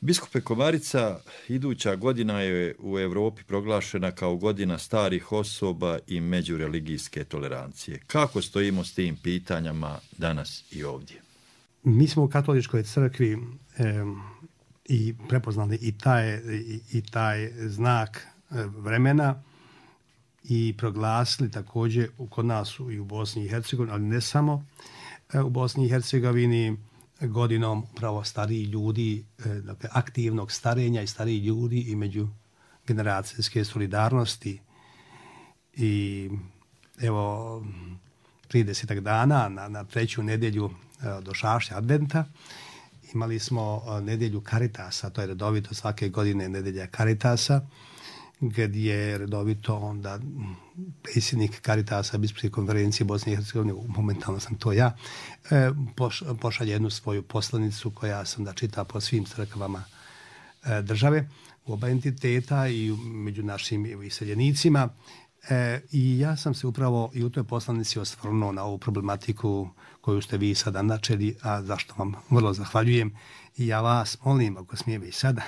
Biskupe Komarica, iduća godina je u Europi proglašena kao godina starih osoba i međureligijske tolerancije. Kako stojimo s tim pitanjama danas i ovdje? Mi smo u Katoličkoj crkvi eh, i prepoznali i taj, i, i taj znak eh, vremena, i proglasili također kod nas i u Bosni i Hercegovini, ali ne samo u Bosni i Hercegovini, godinom upravo stariji ljudi, dakle aktivnog starenja i stariji ljudi i međugeneracijske solidarnosti. I evo, trideset dana na, na treću nedjelju do Šašća Adventa imali smo nedjelju Karitasa, to je redovito svake godine nedjelja Karitasa, gdje je redovito onda predsjednik Karitasa Biskupske konferencije Bosne i Hercegovine, momentalno sam to ja, pošalje jednu svoju poslanicu koja sam da čita po svim crkvama države, u oba entiteta i među našim iseljenicima. I ja sam se upravo i u toj poslanici osvrnuo na ovu problematiku koju ste vi sada načeli, a zašto vam vrlo zahvaljujem. I ja vas molim, ako smijem i sada,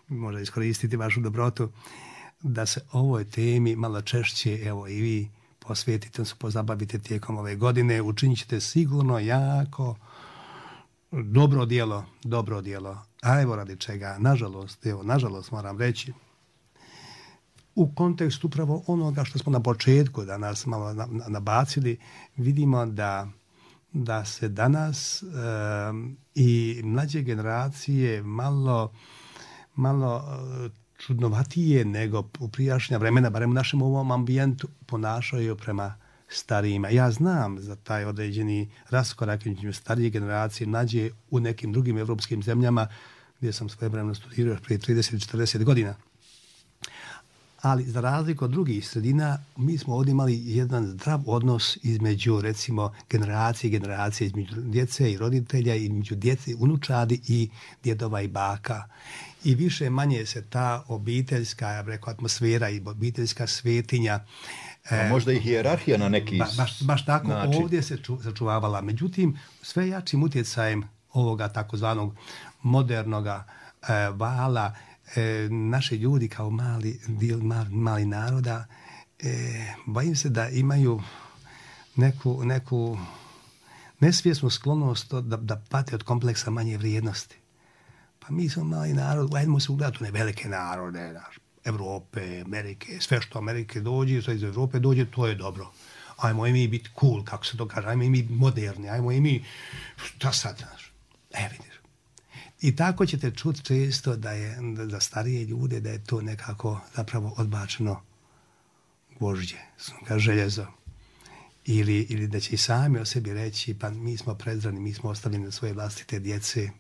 možda iskoristiti vašu dobrotu, da se ovoj temi malo češće, evo i vi posvetite, se pozabavite tijekom ove godine, učinit ćete sigurno jako dobro djelo, dobro djelo. A evo radi čega, nažalost, evo, nažalost moram reći, u kontekstu upravo onoga što smo na početku danas malo nabacili, vidimo da, da se danas um, i mlađe generacije malo malo čudnovatije nego u prijašnja vremena, barem u našem ovom ambijentu, ponašaju prema starijima. Ja znam za taj određeni raskorak između starije generacije mlađe u nekim drugim evropskim zemljama gdje sam svojevremeno studirao prije trideset do četrdeset godina. Ali za razliku od drugih sredina, mi smo ovdje imali jedan zdrav odnos između, recimo, generacije i generacije, između djece i roditelja, između djece, unučadi i djedova i baka. I više manje se ta obiteljska, ja bih rekao, atmosfera i obiteljska svetinja. A možda i hijerarhija na neki ba, baš, baš tako, način. Ovdje se ču, sačuvavala. Međutim, sve jačim utjecajem ovoga takozvanog modernoga e, vala, e, naši ljudi kao mali, dio, mali, mali naroda, e, bojim se da imaju neku, neku nesvjesnu sklonost da, da pate od kompleksa manje vrijednosti. Pa mi smo mali narod, ajdemo se ugledati u ne velike narode, naš, Evrope, Amerike, sve što Amerike dođe, sve iz Evrope dođe, to je dobro. Ajmo i mi biti cool, kako se to kaže, ajmo i mi moderni, ajmo i mi, šta sad, znaš, e vidiš. I tako ćete čuti često da je da, da starije ljude, da je to nekako zapravo odbačeno gvožđe, željezo. Ili, ili da će i sami o sebi reći, pa mi smo prezrani, mi smo ostavljeni na svoje vlastite djece,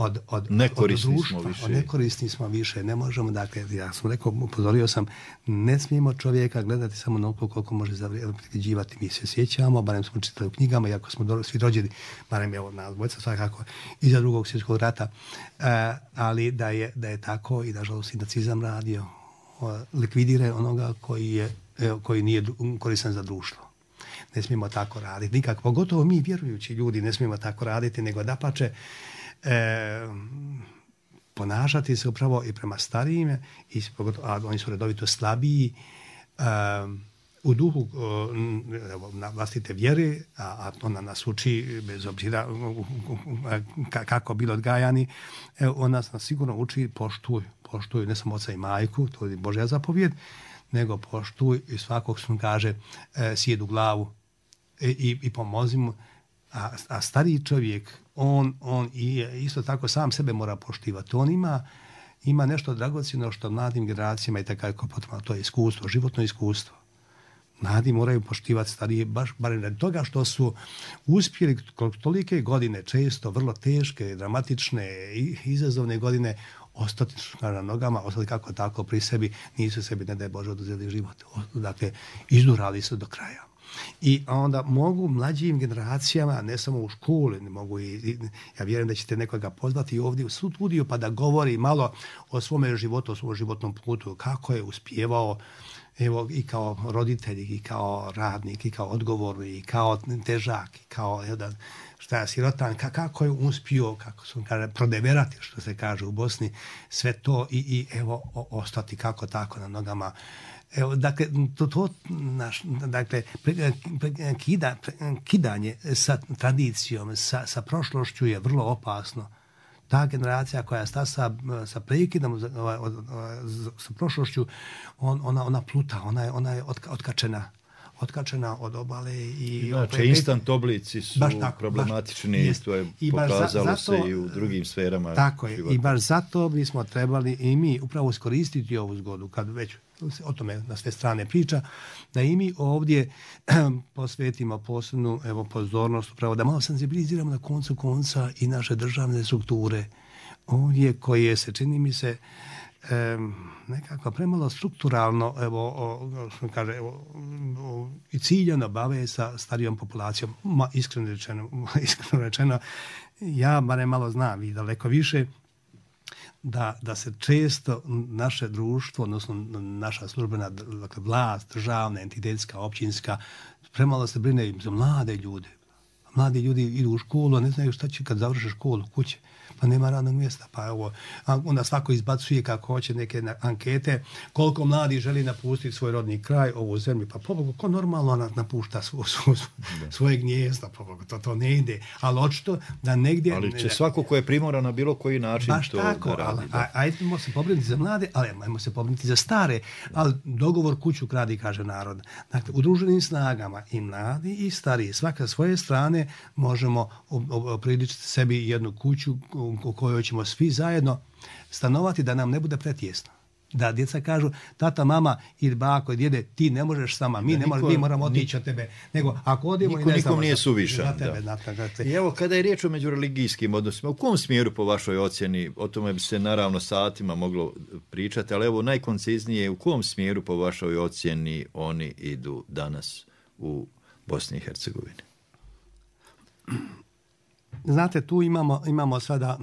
od, od, nekorisni od društva, smo više. Od nekorisni smo više, ne možemo, dakle, ja sam rekao, upozorio sam, ne smijemo čovjeka gledati samo onoliko koliko može zavređivati. Mi se sjećamo, barem smo čitali u knjigama, iako smo do, svi rođeni, barem evo nas dvojica svakako, iza drugog svjetskog rata, uh, ali da je, da je tako i nažalost i nacizam radio, uh, likvidira onoga koji, je, uh, koji nije koristan za društvo. Ne smijemo tako raditi, nikako, pogotovo mi vjerujući ljudi ne smijemo tako raditi, nego dapače, E, ponašati se upravo i prema starijim, i, a oni su redovito slabiji, e, u duhu e, na vlastite vjere, a, a ona nas uči, bez obzira ka, kako bili odgajani, e, ona nas sigurno uči poštuj, poštuj ne samo oca i majku, to je Božja zapovjed, nego poštuj i svakog što kaže e, sjedu glavu e, i, i pomozi mu. A, a stariji čovjek, on, on i isto tako sam sebe mora poštivati. On ima, ima nešto dragocjeno što mladim generacijama i tako potrebno, to je iskustvo, životno iskustvo. Mladi moraju poštivati starije, baš barem radi toga što su uspjeli tolike godine, često vrlo teške, dramatične, izazovne godine, ostati na nogama, ostali kako tako pri sebi, nisu sebi, ne daj Bože, oduzeli život. Dakle, izdurali su do kraja. I onda mogu mlađim generacijama, ne samo u školi, ne mogu i, ja vjerujem da ćete nekoga pozvati ovdje u studiju pa da govori malo o svome životu, o svom životnom putu, kako je uspjevao, evo, i kao roditelj, i kao radnik, i kao odgovorni, i kao težak, i kao jedan, šta je sirotan, kako je uspio, kako su kaže, prodeverati, što se kaže u Bosni, sve to i, i evo, o, ostati kako tako na nogama. Evo, dakle, to, to naš, dakle, pre, pre, kida, pre, kidanje sa tradicijom, sa, sa prošlošću je vrlo opasno. Ta generacija koja sta sa, sa prekidom, sa prošlošću, on, ona, ona pluta, ona je, ona je otkačena. otkačena od obale. I znači, opet, instant oblici su tako, problematični baš, i to je i pokazalo za, zato, se i u drugim sferama tako života. Je, i baš zato bismo trebali i mi upravo iskoristiti ovu zgodu, kad već o tome na sve strane priča, da i mi ovdje posvetimo posebnu evo, pozornost, upravo da malo senzibiliziramo na koncu konca i naše državne strukture ovdje koje se, čini mi se, E, nekako premalo strukturalno evo, o, što kaže, evo, o, i ciljano bave sa starijom populacijom. Ma, iskreno rečeno, iskreno rečeno, ja barem malo znam i daleko više da, da se često naše društvo, odnosno naša službena dakle, vlast, državna, entitetska, općinska, premalo se brine za mlade ljude. Mladi ljudi idu u školu, a ne znaju šta će kad završe školu, kuće. Pa nema radnog mjesta, pa evo, onda svako izbacuje kako hoće neke ankete, koliko mladi želi napustiti svoj rodni kraj, ovu zemlju, pa pobogu, ko normalno napušta svo, svo, svoje gnjezda, pobogu, to, to ne ide, ali očito da negdje... Ali će ne, svako ko je primoran na bilo koji način baš to tako, da radi. Ali, a, ajdemo se pobrinuti za mlade, ali ajmo se pobrinuti za stare, ali dogovor kuću kradi, kaže narod. Dakle, udruženim snagama i mladi i stariji, svaka svoje strane možemo opriličiti sebi jednu kuću u kojoj ćemo svi zajedno stanovati da nam ne bude pretjesno. Da djeca kažu, tata, mama ili bako, djede, ti ne možeš sama, mi, ne niko, mi moramo otići od tebe. Nego, ako odemo niko, i ne znamo, nikom nije suvišan. Na tebe, da. na tebe. I evo, kada je riječ o međureligijskim odnosima, u kom smjeru po vašoj ocjeni, o tome bi se naravno satima moglo pričati, ali evo najkonciznije, u kom smjeru po vašoj ocjeni oni idu danas u Bosni i Hercegovini? Znate, tu imamo, imamo sada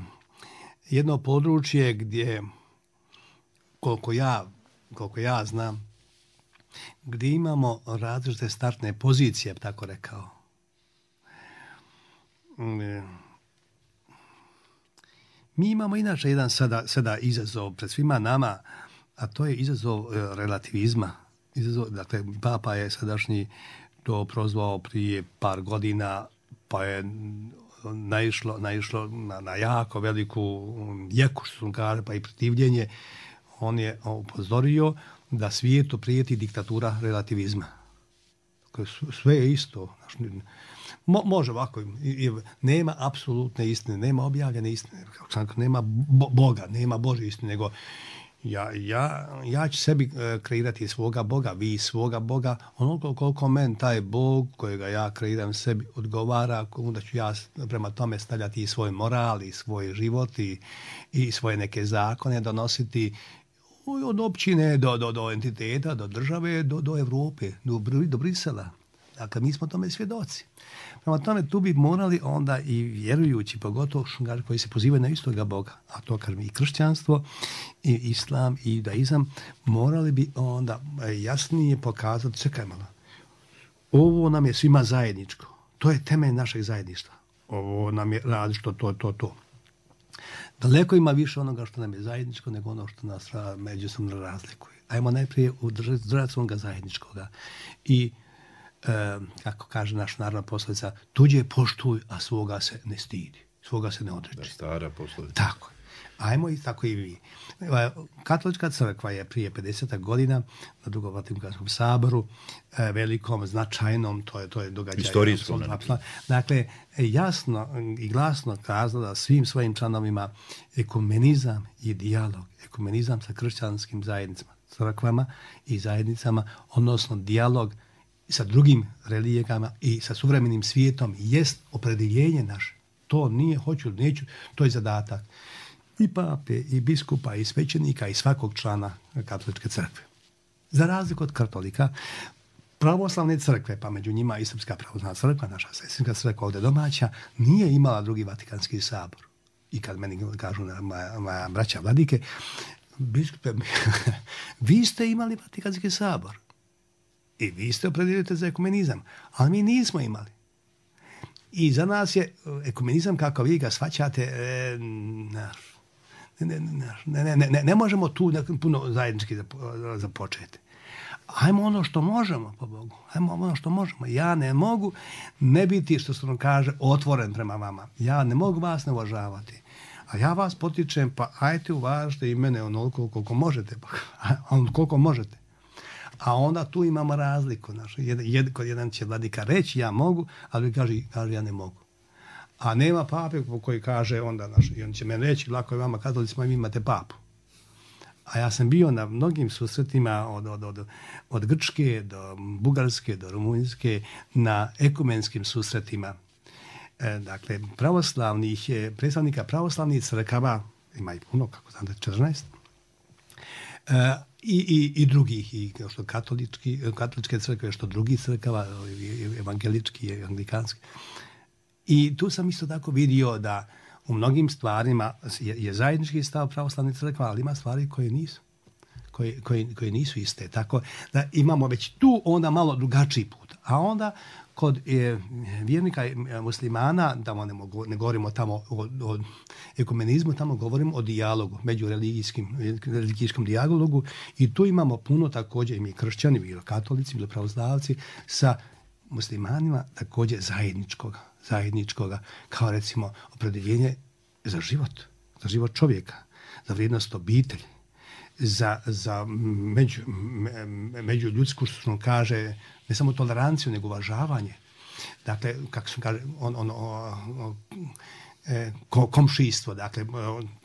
jedno područje gdje, koliko ja, koliko ja znam, gdje imamo različite startne pozicije, tako rekao. Mi imamo inače jedan sada, sada izazov pred svima nama, a to je izazov relativizma. Izazov, dakle, Papa je sadašnji to prozvao prije par godina, pa je naišlo, naišlo na, na jako veliku jeku, što su kaže, pa i protivljenje. On je upozorio da svijetu prijeti diktatura relativizma. Sve je isto. Mo, može ovako. Nema apsolutne istine, nema objavljene istine, nema bo, Boga, nema Božje istine, nego ja, ja, ja ću sebi kreirati svoga Boga, vi svoga Boga, onoliko koliko men taj Bog kojega ja kreiram sebi odgovara, onda ću ja prema tome stavljati i svoj moral i svoj život i, i svoje neke zakone donositi od općine do, do, do entiteta, do države, do, do Evrope, do, do Brisela. Dakle, mi smo tome svjedoci. Prema tome, tu bi morali onda i vjerujući, pogotovo koji se pozivaju na istoga Boga, a to kažem i kršćanstvo, i islam, i judaizam, morali bi onda jasnije pokazati, čekaj malo, ovo nam je svima zajedničko. To je temelj našeg zajedništva. Ovo nam je različito, to, to, to. Daleko ima više onoga što nam je zajedničko nego ono što nas međusobno razlikuje. Ajmo najprije udržati onoga zajedničkoga. I E, kako kaže naša narodna poslovica, tuđe poštuj, a svoga se ne stidi, svoga se ne odreći. Da, stara poslovica. Tako. Ajmo i tako i vi. Katolička crkva je prije pedeset godina na Drugom Vatikanskom saboru, e, velikom, značajnom, to je, to je događaj. Istorijskom. Dakle, jasno i glasno kazala svim svojim članovima ekumenizam i dijalog. Ekumenizam sa kršćanskim zajednicama, crkvama i zajednicama, odnosno dijalog sa drugim religijama i sa suvremenim svijetom jest opredjeljenje naše. To nije, hoću, neću, to je zadatak i pape, i biskupa, i svećenika, i svakog člana katoličke crkve. Za razliku od katolika, pravoslavne crkve, pa među njima i Srpska pravoslavna crkva, naša sestinska crkva ovdje domaća, nije imala drugi Vatikanski sabor. I kad meni kažu moja, moja braća vladike, biskupe, vi ste imali Vatikanski sabor. I vi ste opredijelite za ekumenizam, ali mi nismo imali. I za nas je ekumenizam, kako vi ga shvaćate, e, ne, ne, ne, ne, ne, ne možemo tu puno zajednički započeti. Ajmo ono što možemo, po Bogu. Ajmo ono što možemo. Ja ne mogu ne biti, što se nam kaže, otvoren prema vama. Ja ne mogu vas ne uvažavati. A ja vas potičem, pa ajte uvažite i mene onoliko koliko možete. Pa, koliko možete. A onda tu imamo razliku. Znači, jed, jed, kod jedan će vladika reći ja mogu, ali kaže, kaže ja ne mogu. A nema pape koji kaže onda, znači, i on će meni reći, lako je vama katolicima, vi imate papu. A ja sam bio na mnogim susretima od, od, od, od Grčke do Bugarske do Rumunjske, na ekumenskim susretima. E, dakle, pravoslavnih, predstavnika pravoslavnih crkava, ima i puno, kako znate, četrnaest, e, I, i, i drugih, i što katolički, katoličke crkve, što drugih crkava, evangelički i anglikanski. I tu sam isto tako vidio da u mnogim stvarima je, je zajednički stav pravoslavnih crkva, ali ima stvari koje nisu, koje, koje, koje nisu iste. Tako da imamo već tu onda malo drugačiji put. A onda kod e, vjernika muslimana, tamo ne, mogu, ne govorimo tamo o, o ekumenizmu, tamo govorimo o dijalogu, međureligijskim religijskom dijalogu, i tu imamo puno također i mi kršćani, bilo katolici, bilo pravoslavci, sa muslimanima također zajedničkoga, zajedničkoga, kao recimo opredjeljenje za život, za život čovjeka, za vrijednost obitelji, za, za među, me, među ljudsku, što se kaže, ne samo toleranciju, nego uvažavanje. Dakle, kako se kaže, on, on, on, on, e, komšijstvo, dakle,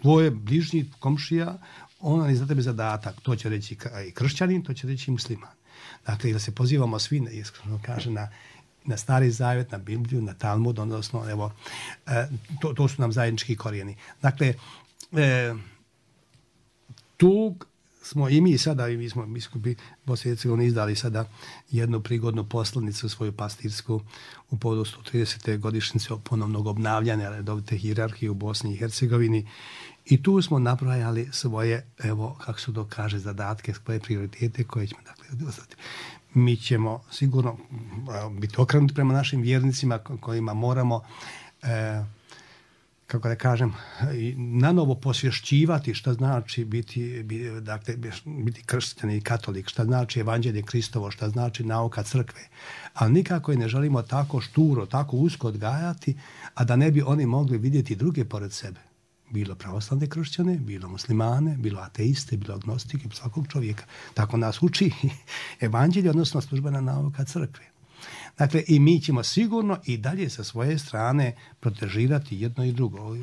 tvoje bližnji komšija, on je za tebe zadatak, to će reći i kršćanin, to će reći i musliman. Dakle, da se pozivamo svi, iskreno kaže, na, na Stari Zavjet, na Bibliju, na Talmud, odnosno, evo, to, to su nam zajednički korijeni. Dakle, e, tu smo i mi sada, i mi smo biskupi Bosne i Hercegovine izdali sada jednu prigodnu poslanicu svoju pastirsku u povodu sto tridesete godišnjice ponovnog obnavljanja redovite hijerarhije u Bosni i Hercegovini. I tu smo nabrojali svoje, evo, kako se to kaže, zadatke, svoje prioritete koje ćemo, dakle, odostati. Mi ćemo sigurno biti okrenuti prema našim vjernicima kojima moramo, e, kako da kažem, na novo posvješćivati šta znači biti, biti, dakle, biti kršćan i katolik, šta znači evanđelje Kristovo, šta znači nauka crkve. Ali nikako je ne želimo tako šturo, tako usko odgajati, a da ne bi oni mogli vidjeti druge pored sebe. Bilo pravoslavne kršćane, bilo muslimane, bilo ateiste, bilo agnostike, svakog čovjeka. Tako nas uči evanđelje, odnosno službena nauka crkve. Dakle, i mi ćemo sigurno i dalje sa svoje strane protežirati jedno i drugo.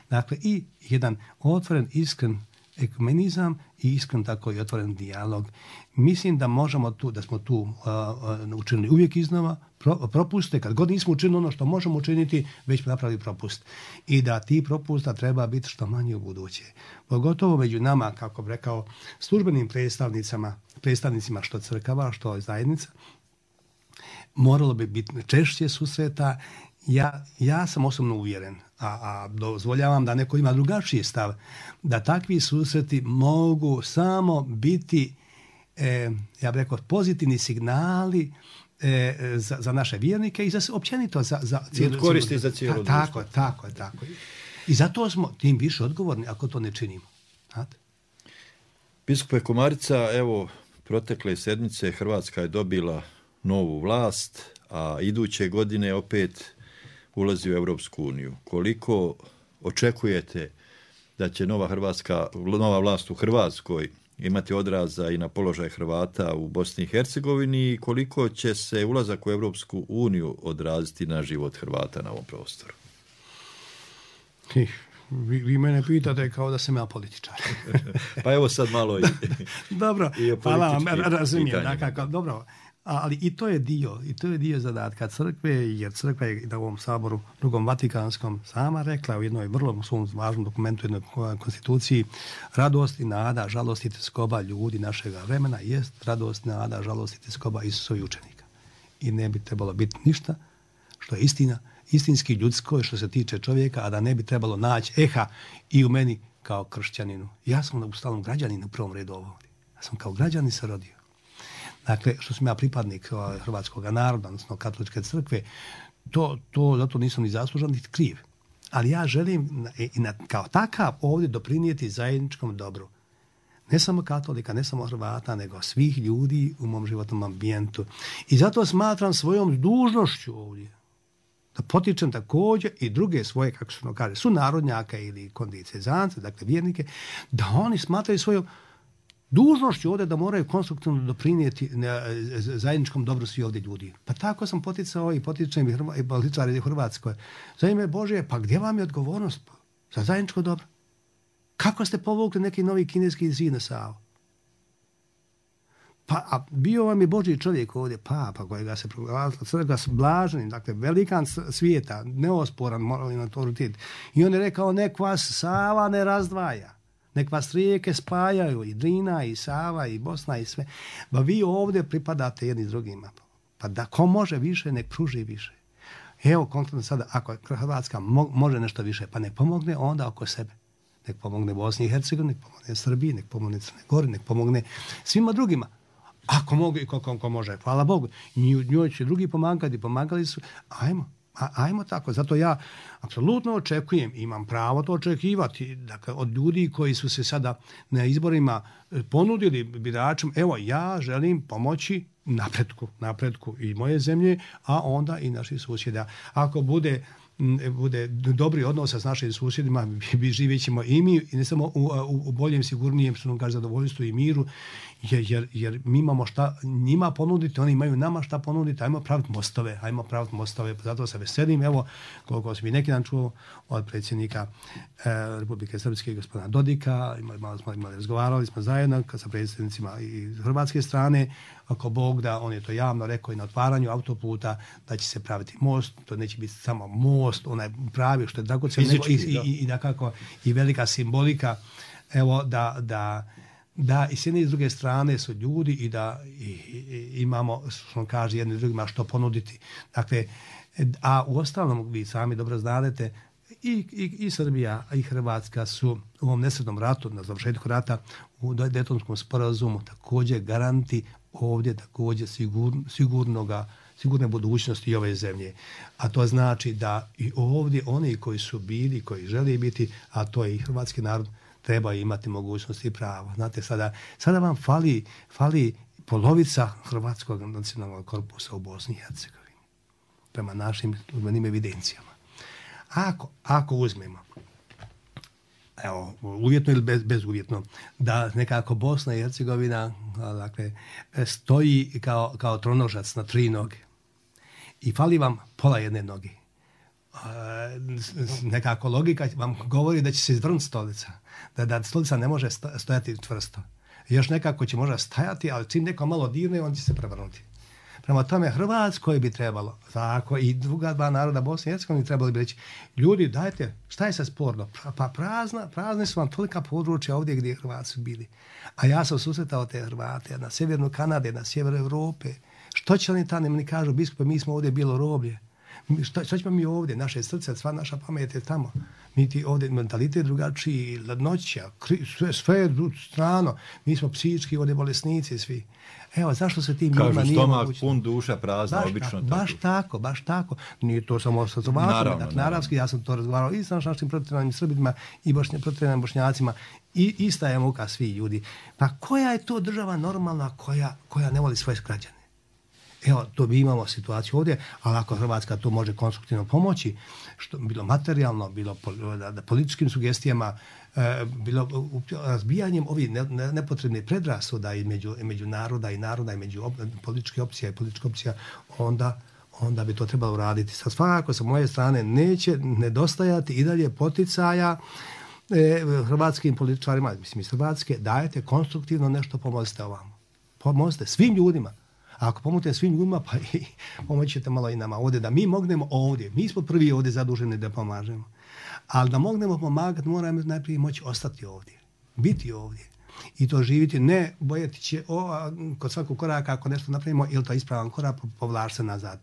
Dakle, i jedan otvoren, iskren ekumenizam i iskren tako i otvoren dijalog. Mislim da možemo tu, da smo tu uh, učinili uvijek iznova pro, propuste, kad god nismo učinili ono što možemo učiniti, već smo napravili propust. I da ti propusta treba biti što manje u buduće. Pogotovo među nama, kako bi rekao, službenim predstavnicama, predstavnicima što crkava, što zajednica, moralo bi biti češće susreta. Ja, ja sam osobno uvjeren, a, a dozvoljavam da neko ima drugačiji stav, da takvi susreti mogu samo biti, e, ja bih rekao, pozitivni signali e, za, za naše vjernike i za općenito za, za cijelu, koristi za cijelu ta, tako, tako, tako. I zato smo tim više odgovorni ako to ne činimo. Znate? Biskupe Komarica, evo, protekle sedmice Hrvatska je dobila novu vlast, a iduće godine opet ulazi u Europsku uniju. Koliko očekujete da će nova hrvatska, nova vlast u Hrvatskoj imati odraza i na položaj Hrvata u Bosni i Hercegovini i koliko će se ulazak u Europsku uniju odraziti na život Hrvata na ovom prostoru? Vi, vi mene pitate kao da sam ja političar. Pa evo sad malo i dobro, i o hvala vam, razumijem. Dakle, dobro, ali i to je dio, i to je dio zadatka crkve, jer crkva je na ovom saboru drugom Vatikanskom sama rekla u jednoj vrlo svom važnom dokumentu, jednoj konstituciji, radost i nada, žalost i tjeskoba ljudi našega vremena jest radost, nada, žalost i tjeskoba Isusovi učenika. I ne bi trebalo biti ništa što je istina, istinski ljudsko što se tiče čovjeka, a da ne bi trebalo naći eha i u meni kao kršćaninu. Ja sam u stalnom građaninu u prvom redu ovdje. Ja sam kao građanin se rodio. Dakle, što sam ja pripadnik hrvatskog naroda, odnosno katoličke crkve, to, to zato nisam ni zaslužan, ni kriv. Ali ja želim i na, kao takav ovdje doprinijeti zajedničkom dobru. Ne samo katolika, ne samo Hrvata, nego svih ljudi u mom životnom ambijentu. I zato smatram svojom dužnošću ovdje da potičem također i druge svoje, kako se ono kaže, sunarodnjaka ili kondicezance, dakle vjernike, da oni smatraju svojom dužnošću ovdje da moraju konstruktivno doprinijeti zajedničkom dobru svi ovdje ljudi. Pa tako sam poticao i potičem i, Hrva, i političari u Hrvatskoj. Za ime Božje, pa gdje vam je odgovornost za zajedničko dobro? Kako ste povukli neki novi kineski zid na Savu? Pa a bio vam je Božji čovjek ovdje, papa kojega se proglasila crkva s blaženim, dakle velikan svijeta, neosporan moralni autoritet. I on je rekao, nek vas Sava ne razdvaja. Nek vas rijeke spajaju, i Drina, i Sava, i Bosna, i sve. Ba vi ovdje pripadate jedni drugima. Pa da ko može više, nek pruži više. Evo, konkretno sada, ako Hrvatska mo- može nešto više, pa nek pomogne onda oko sebe. Nek pomogne Bosni i Hercegovini, nek pomogne Srbiji, nek pomogne Crne Gori, nek pomogne svima drugima. Ako mogu i koliko ko može, hvala Bogu. Njoj će drugi pomagati, pomagali su. Ajmo. A, ajmo tako, zato ja apsolutno očekujem, imam pravo to očekivati, dakle, od ljudi koji su se sada na izborima ponudili biračima, evo, ja želim pomoći napretku, napretku i moje zemlje, a onda i naših susjeda. Ako bude bude dobri odnosa s našim susjedima, živjet ćemo i mi, i ne samo u, u, u boljem, sigurnijem, što nam kaže, zadovoljstvu i miru, jer, jer, jer mi imamo šta njima ponuditi, oni imaju nama šta ponuditi, ajmo praviti mostove, ajmo praviti mostove, zato se veselim, evo, koliko sam i neki dan čuo od predsjednika eh, Republike Srpske, gospodina Dodika, imali, malo smo imali, razgovarali smo zajedno sa predsjednicima iz hrvatske strane, ako Bog da, on je to javno rekao i na otvaranju autoputa, da će se praviti most, to neće biti samo most, onaj pravi, što je tako cijel, nego i, i, i, i, dakako, i velika simbolika, evo, da, da, da i s jedne i s druge strane su ljudi i da i, i, imamo, što kaže, jedni drugima što ponuditi. Dakle, a u ostalom, vi sami dobro znadete, I, i, i Srbija i Hrvatska su u ovom nesretnom ratu, na završetku rata, u Daytonskom sporazumu također garanti ovdje također sigur, sigurnoga, sigurne budućnosti ove zemlje. A to znači da i ovdje oni koji su bili, koji žele biti, a to je i hrvatski narod, treba imati mogućnosti i prava. Znate, sada, sada vam fali, fali polovica hrvatskog nacionalnog korpusa u Bosni i Hercegovini. Prema našim službenim evidencijama. Ako, ako uzmemo, evo, uvjetno ili bez, bezuvjetno, da nekako Bosna i Hercegovina, dakle, stoji kao, kao tronožac na tri noge i fali vam pola jedne noge. Nekako logika vam govori da će se izvrnuti stolica, da, da stolica ne može stojati čvrsto. Još nekako će možda stajati, ali čim neko malo dirne, on će se prevrnuti. Prema tome, Hrvatskoj bi trebalo, tako i druga dva naroda Bosne i Hercegovine trebali bi reći, ljudi, dajte, šta je sad sporno? Pa prazna, prazne su vam tolika područja ovdje gdje Hrvati su bili. A ja sam susretao te Hrvate na sjevernu Kanade, na sjeveru Evrope. Što će oni tamo, mi kažu, biskupe, mi smo ovdje bilo roblje. Što, što ćemo mi ovdje? Naše srce, sva naša pamet je tamo. Mi ti ovdje mentalitet drugačiji, ladnoća, sve, sve je strano. Mi smo psihički ovdje bolesnici svi. Evo, zašto se tim ljudima nije mogućno? Kažu, stomak pun, duša prazna, baš obično tako. tako. Baš tako, baš tako. Nije to samo sa Slovačima, dakle, naravski, ja sam to razgovarao i sa našim protjeranim Srbima i bošnja, protjeranim Bošnjacima. I ista je muka svi ljudi. Pa koja je to država normalna koja, koja ne voli svoje građane? Evo, to bi imamo situaciju ovdje, ali ako Hrvatska to može konstruktivno pomoći, što bilo materijalno, bilo da, da političkim sugestijama, e, bilo razbijanjem ovih ne, ne, nepotrebne predrasuda između, između naroda i naroda, između op, političke opcija i političke opcija, onda, onda bi to trebalo uraditi. Sad svakako sa moje strane neće nedostajati i dalje poticaja e, hrvatskim političarima, mislim iz Hrvatske, dajete konstruktivno nešto, pomozite ovamo. Pomozite svim ljudima. A ako pomoćete svim ljudima, pa i pomoćete malo i nama ovdje, da mi mognemo ovdje. Mi smo prvi ovdje zaduženi da pomažemo. Ali da mognemo pomagati, moramo najprije moći ostati ovdje. Biti ovdje. I to živiti, ne bojati će o, kod svakog koraka, ako nešto napravimo, ili to ispravan korak, povlači se nazad.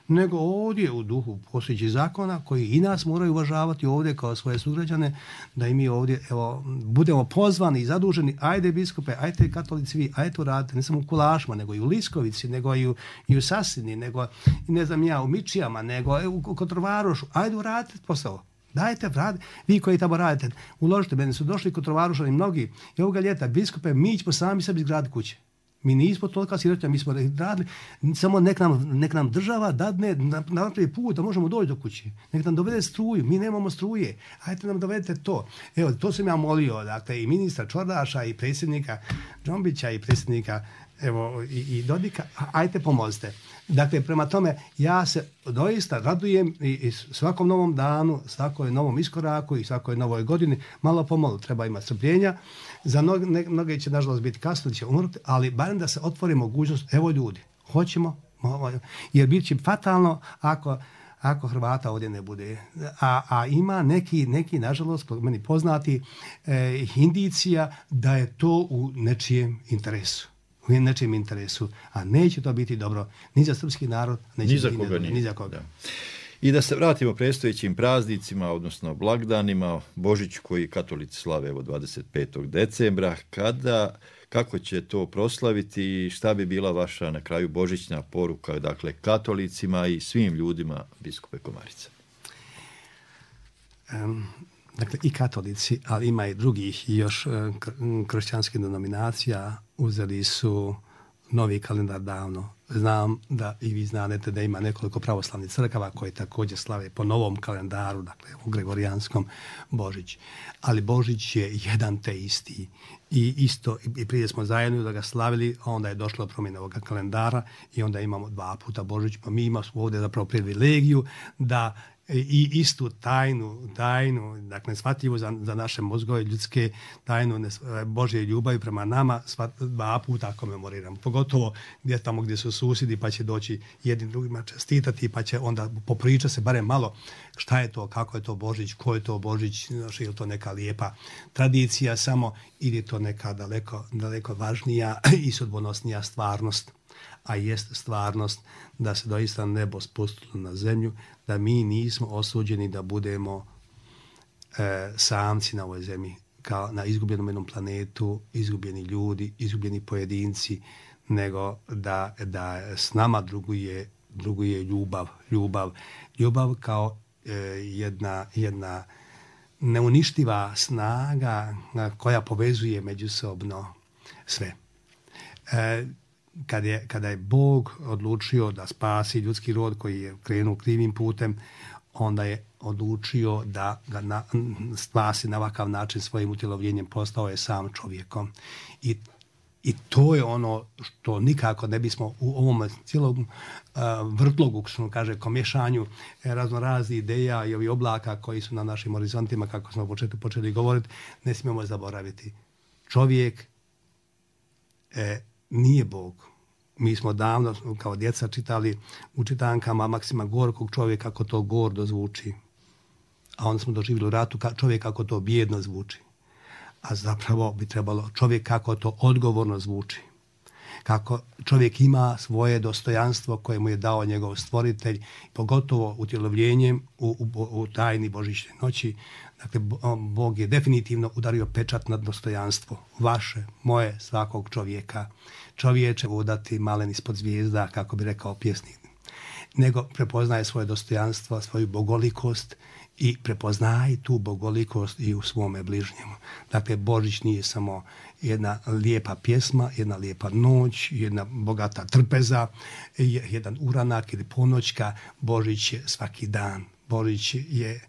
Nego ovdje u duhu postojećih zakona, koji i nas moraju uvažavati ovdje kao svoje sugrađane, da i mi ovdje evo, budemo pozvani i zaduženi, ajde biskupe, ajde katolici vi, ajde to radite, ne samo u Kulašima, nego i u Liskovici, nego i u, i u Sasini, nego i ne znam ja, u Mičijama, nego u Kotrovarošu, ajde uradite posao. Dajte, radi. Vi koji tamo radite, uložite, meni su došli Kotrovarušani mnogi i ovoga ljeta, biskupe, mi ćemo sami sebi izgraditi kuće. Mi nismo tolika sirotinja, mi smo radili, samo nek nam, nek nam država dadne na, na prvi put da možemo doći do kuće. Nek nam dovede struju, mi nemamo struje, ajte nam dovedete to. Evo, to sam ja molio, dakle, i ministra Čordaša, i predsjednika Džombića, i predsjednika evo, i, i Dodika, ajte pomozite. Dakle, prema tome, ja se doista radujem i, i svakom novom danu, svakoj novom iskoraku i svakoj novoj godini, malo pomalo treba imati strpljenja. Za mnoge, ne, mnoge će, nažalost, biti kasno, će umrti, ali barem da se otvori mogućnost, evo ljudi, hoćemo, jer bit će fatalno ako, ako Hrvata ovdje ne bude. A, a ima neki, neki, nažalost, meni poznati, eh, indicija da je to u nečijem interesu. U nečijem interesu, a neće to biti dobro ni za srpski narod, neće ni za biti koga, ni, ni za koga. Da. I da se vratimo predstojećim praznicima, odnosno blagdanima, Božić koji katolici slave evo dvadeset petog decembra, kada, kako će to proslaviti i šta bi bila vaša na kraju božićna poruka, dakle, katolicima i svim ljudima, biskupe Komarica? Um, dakle, i katolici, ali ima i drugih još kršćanskih denominacija, uzeli su novi kalendar davno, znam da i vi znate da ima nekoliko pravoslavnih crkava koje također slave po novom kalendaru, dakle u gregorijanskom Božić. Ali Božić je jedan te isti. I isto, i prije smo zajedno da ga slavili, a onda je došlo do promjene ovoga kalendara i onda imamo dva puta Božić, pa mi imamo ovdje zapravo privilegiju da i istu tajnu, tajnu, dakle shvatljivu za, za naše mozgove ljudske, tajnu Božje ljubavi prema nama sva, dva puta komemoriramo. Pogotovo gdje tamo gdje su susjedi pa će doći jednim drugima čestitati pa će onda popriča se barem malo šta je to, kako je to Božić, ko je to Božić, znači, je li to neka lijepa tradicija samo ili je to neka daleko, daleko važnija i sudbonosnija stvarnost. A jest stvarnost da se doista nebo spustilo na zemlju, da mi nismo osuđeni da budemo e, samci na ovoj zemlji, kao na izgubljenom jednom planetu, izgubljeni ljudi, izgubljeni pojedinci, nego da, da s nama druguje, druguje ljubav, ljubav, ljubav kao e, jedna, jedna neuništiva snaga koja povezuje međusobno sve. E, Kad je, kada je Bog odlučio da spasi ljudski rod koji je krenuo krivim putem, onda je odlučio da ga na, spasi na ovakav način svojim utjelovljenjem, postao je sam čovjekom. I, i to je ono što nikako ne bismo u ovom cijelom uh, vrtlogu, što kaže, komješanju raznoraznih ideja i ovih oblaka koji su na našim horizontima, kako smo počeli, počeli govoriti, ne smijemo zaboraviti. Čovjek e, nije Bog. Mi smo davno kao djeca čitali u čitankama Maksima Gorkog čovjek kako to gordo zvuči. A onda smo doživjeli u ratu čovjek kako to bijedno zvuči. A zapravo bi trebalo čovjek kako to odgovorno zvuči. Kako čovjek ima svoje dostojanstvo koje mu je dao njegov stvoritelj, pogotovo utjelovljenjem u, u, u tajni Božićne noći. Dakle, Bog je definitivno udario pečat na dostojanstvo vaše, moje, svakog čovjeka. Čovječe vodati malen ispod zvijezda, kako bi rekao pjesnik. Nego prepoznaje svoje dostojanstvo, svoju bogolikost i prepoznaje tu bogolikost i u svome bližnjemu. Dakle, Božić nije samo jedna lijepa pjesma, jedna lijepa noć, jedna bogata trpeza, jedan uranak ili ponoćka. Božić je svaki dan. Božić je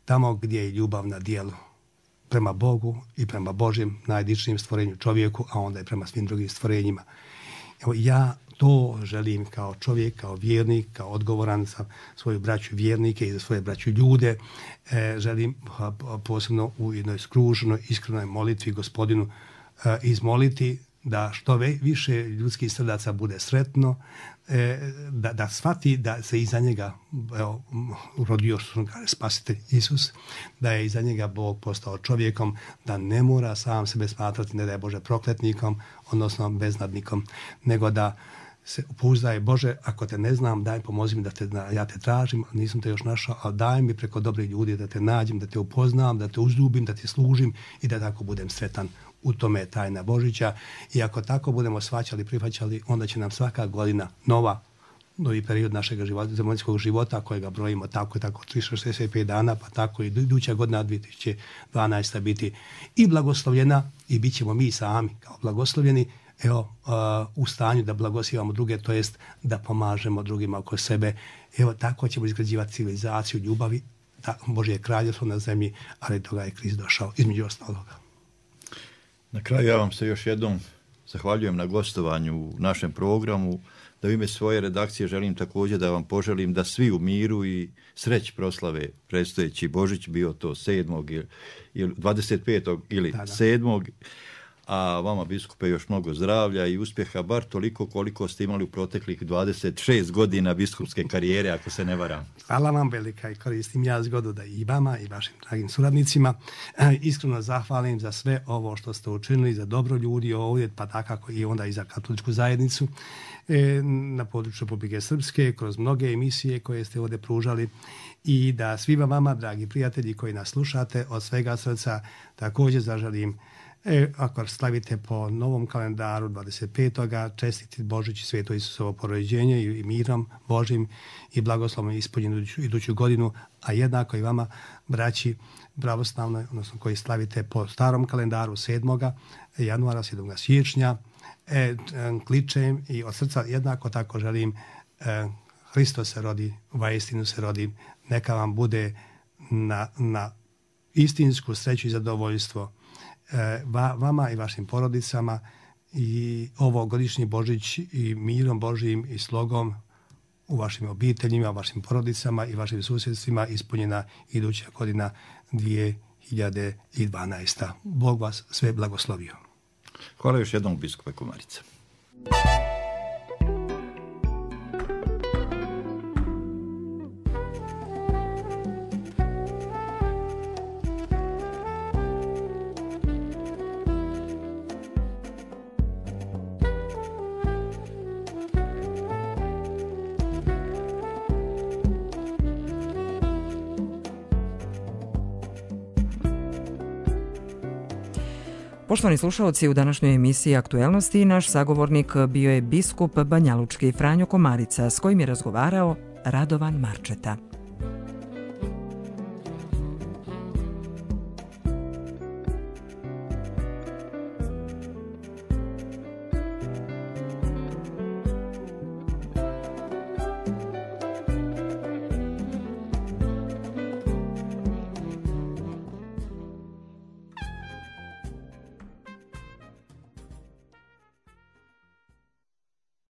tamo gdje je ljubav na djelu. Prema Bogu i prema Božjem najdičnijem stvorenju čovjeku, a onda i prema svim drugim stvorenjima. Evo, ja to želim kao čovjek, kao vjernik, kao odgovoran za svoju braću vjernike i za svoje braću ljude. E, želim posebno u jednoj skruženoj, iskrenoj molitvi Gospodinu e, izmoliti da što više ljudskih srdaca bude sretno, e, da, da shvati da se iza njega evo, urodio spasitelj Isus, da je iza njega Bog postao čovjekom, da ne mora sam sebe smatrati, ne da je Bože prokletnikom, odnosno beznadnikom, nego da se pouzdaje Bože, ako te ne znam, daj pomozi mi da te, ja te tražim, nisam te još našao, ali daj mi preko dobrih ljudi da te nađem, da te upoznam, da te uzljubim, da ti služim i da tako budem sretan. U tome je tajna Božića i ako tako budemo shvaćali, prihvaćali, onda će nam svaka godina nova, novi period našeg života, zemaljskog života kojega brojimo tako i tako tristo šezdeset pet dana, pa tako i iduća godina dvije tisuće dvanaesta biti i blagoslovljena i bit ćemo mi sami kao blagoslovljeni, evo, uh, u stanju da blagosivamo druge, to jest da pomažemo drugima oko sebe. Evo, tako ćemo izgrađivati civilizaciju ljubavi, da Božje kraljevstvo na zemlji, ali toga je Krist došao, između ostaloga. Na kraju ja vam se još jednom zahvaljujem na gostovanju u našem programu, da u ime svoje redakcije želim također da vam poželim da svi u miru i sreć proslave predstojeći Božić, bio to sedmog ili dvadeset petog ili sedmog A vama, biskupe, još mnogo zdravlja i uspjeha, bar toliko koliko ste imali u proteklih dvadeset šest godina biskupske karijere, ako se ne varam. Hvala vam velika i koristim ja zgodu da i vama i vašim dragim suradnicima e, iskreno zahvalim za sve ovo što ste učinili za dobro ljudi ovdje, pa takako i onda i za katoličku zajednicu e, na području Republike Srpske, kroz mnoge emisije koje ste ovdje pružali i da svima vama, dragi prijatelji koji nas slušate, od svega srca također zaželim. E, ako slavite po novom kalendaru dvadeset petoga čestiti Božić i Sveto Isusovo porođenje i mirom Božim i blagoslovom ispunjenu iduću, iduću godinu, a jednako i vama, braći pravoslavnoj, odnosno koji slavite po starom kalendaru sedmoga januara, sedmoga siječnja, e, kličem i od srca jednako tako želim e, Hristos se rodi, vaistinu se rodi, neka vam bude na, na istinsku sreću i zadovoljstvo e, va, vama i vašim porodicama i ovo godišnji Božić i mirom Božijim i slogom u vašim obiteljima, vašim porodicama i vašim susjedstvima ispunjena iduća godina dvije hiljade dvanaesta. Bog vas sve blagoslovio. Hvala još jednom, biskupe Komarica. Poštovani slušalci, u današnjoj emisiji Aktuelnosti naš sagovornik bio je biskup banjalučki Franjo Komarica, s kojim je razgovarao Radovan Marčeta.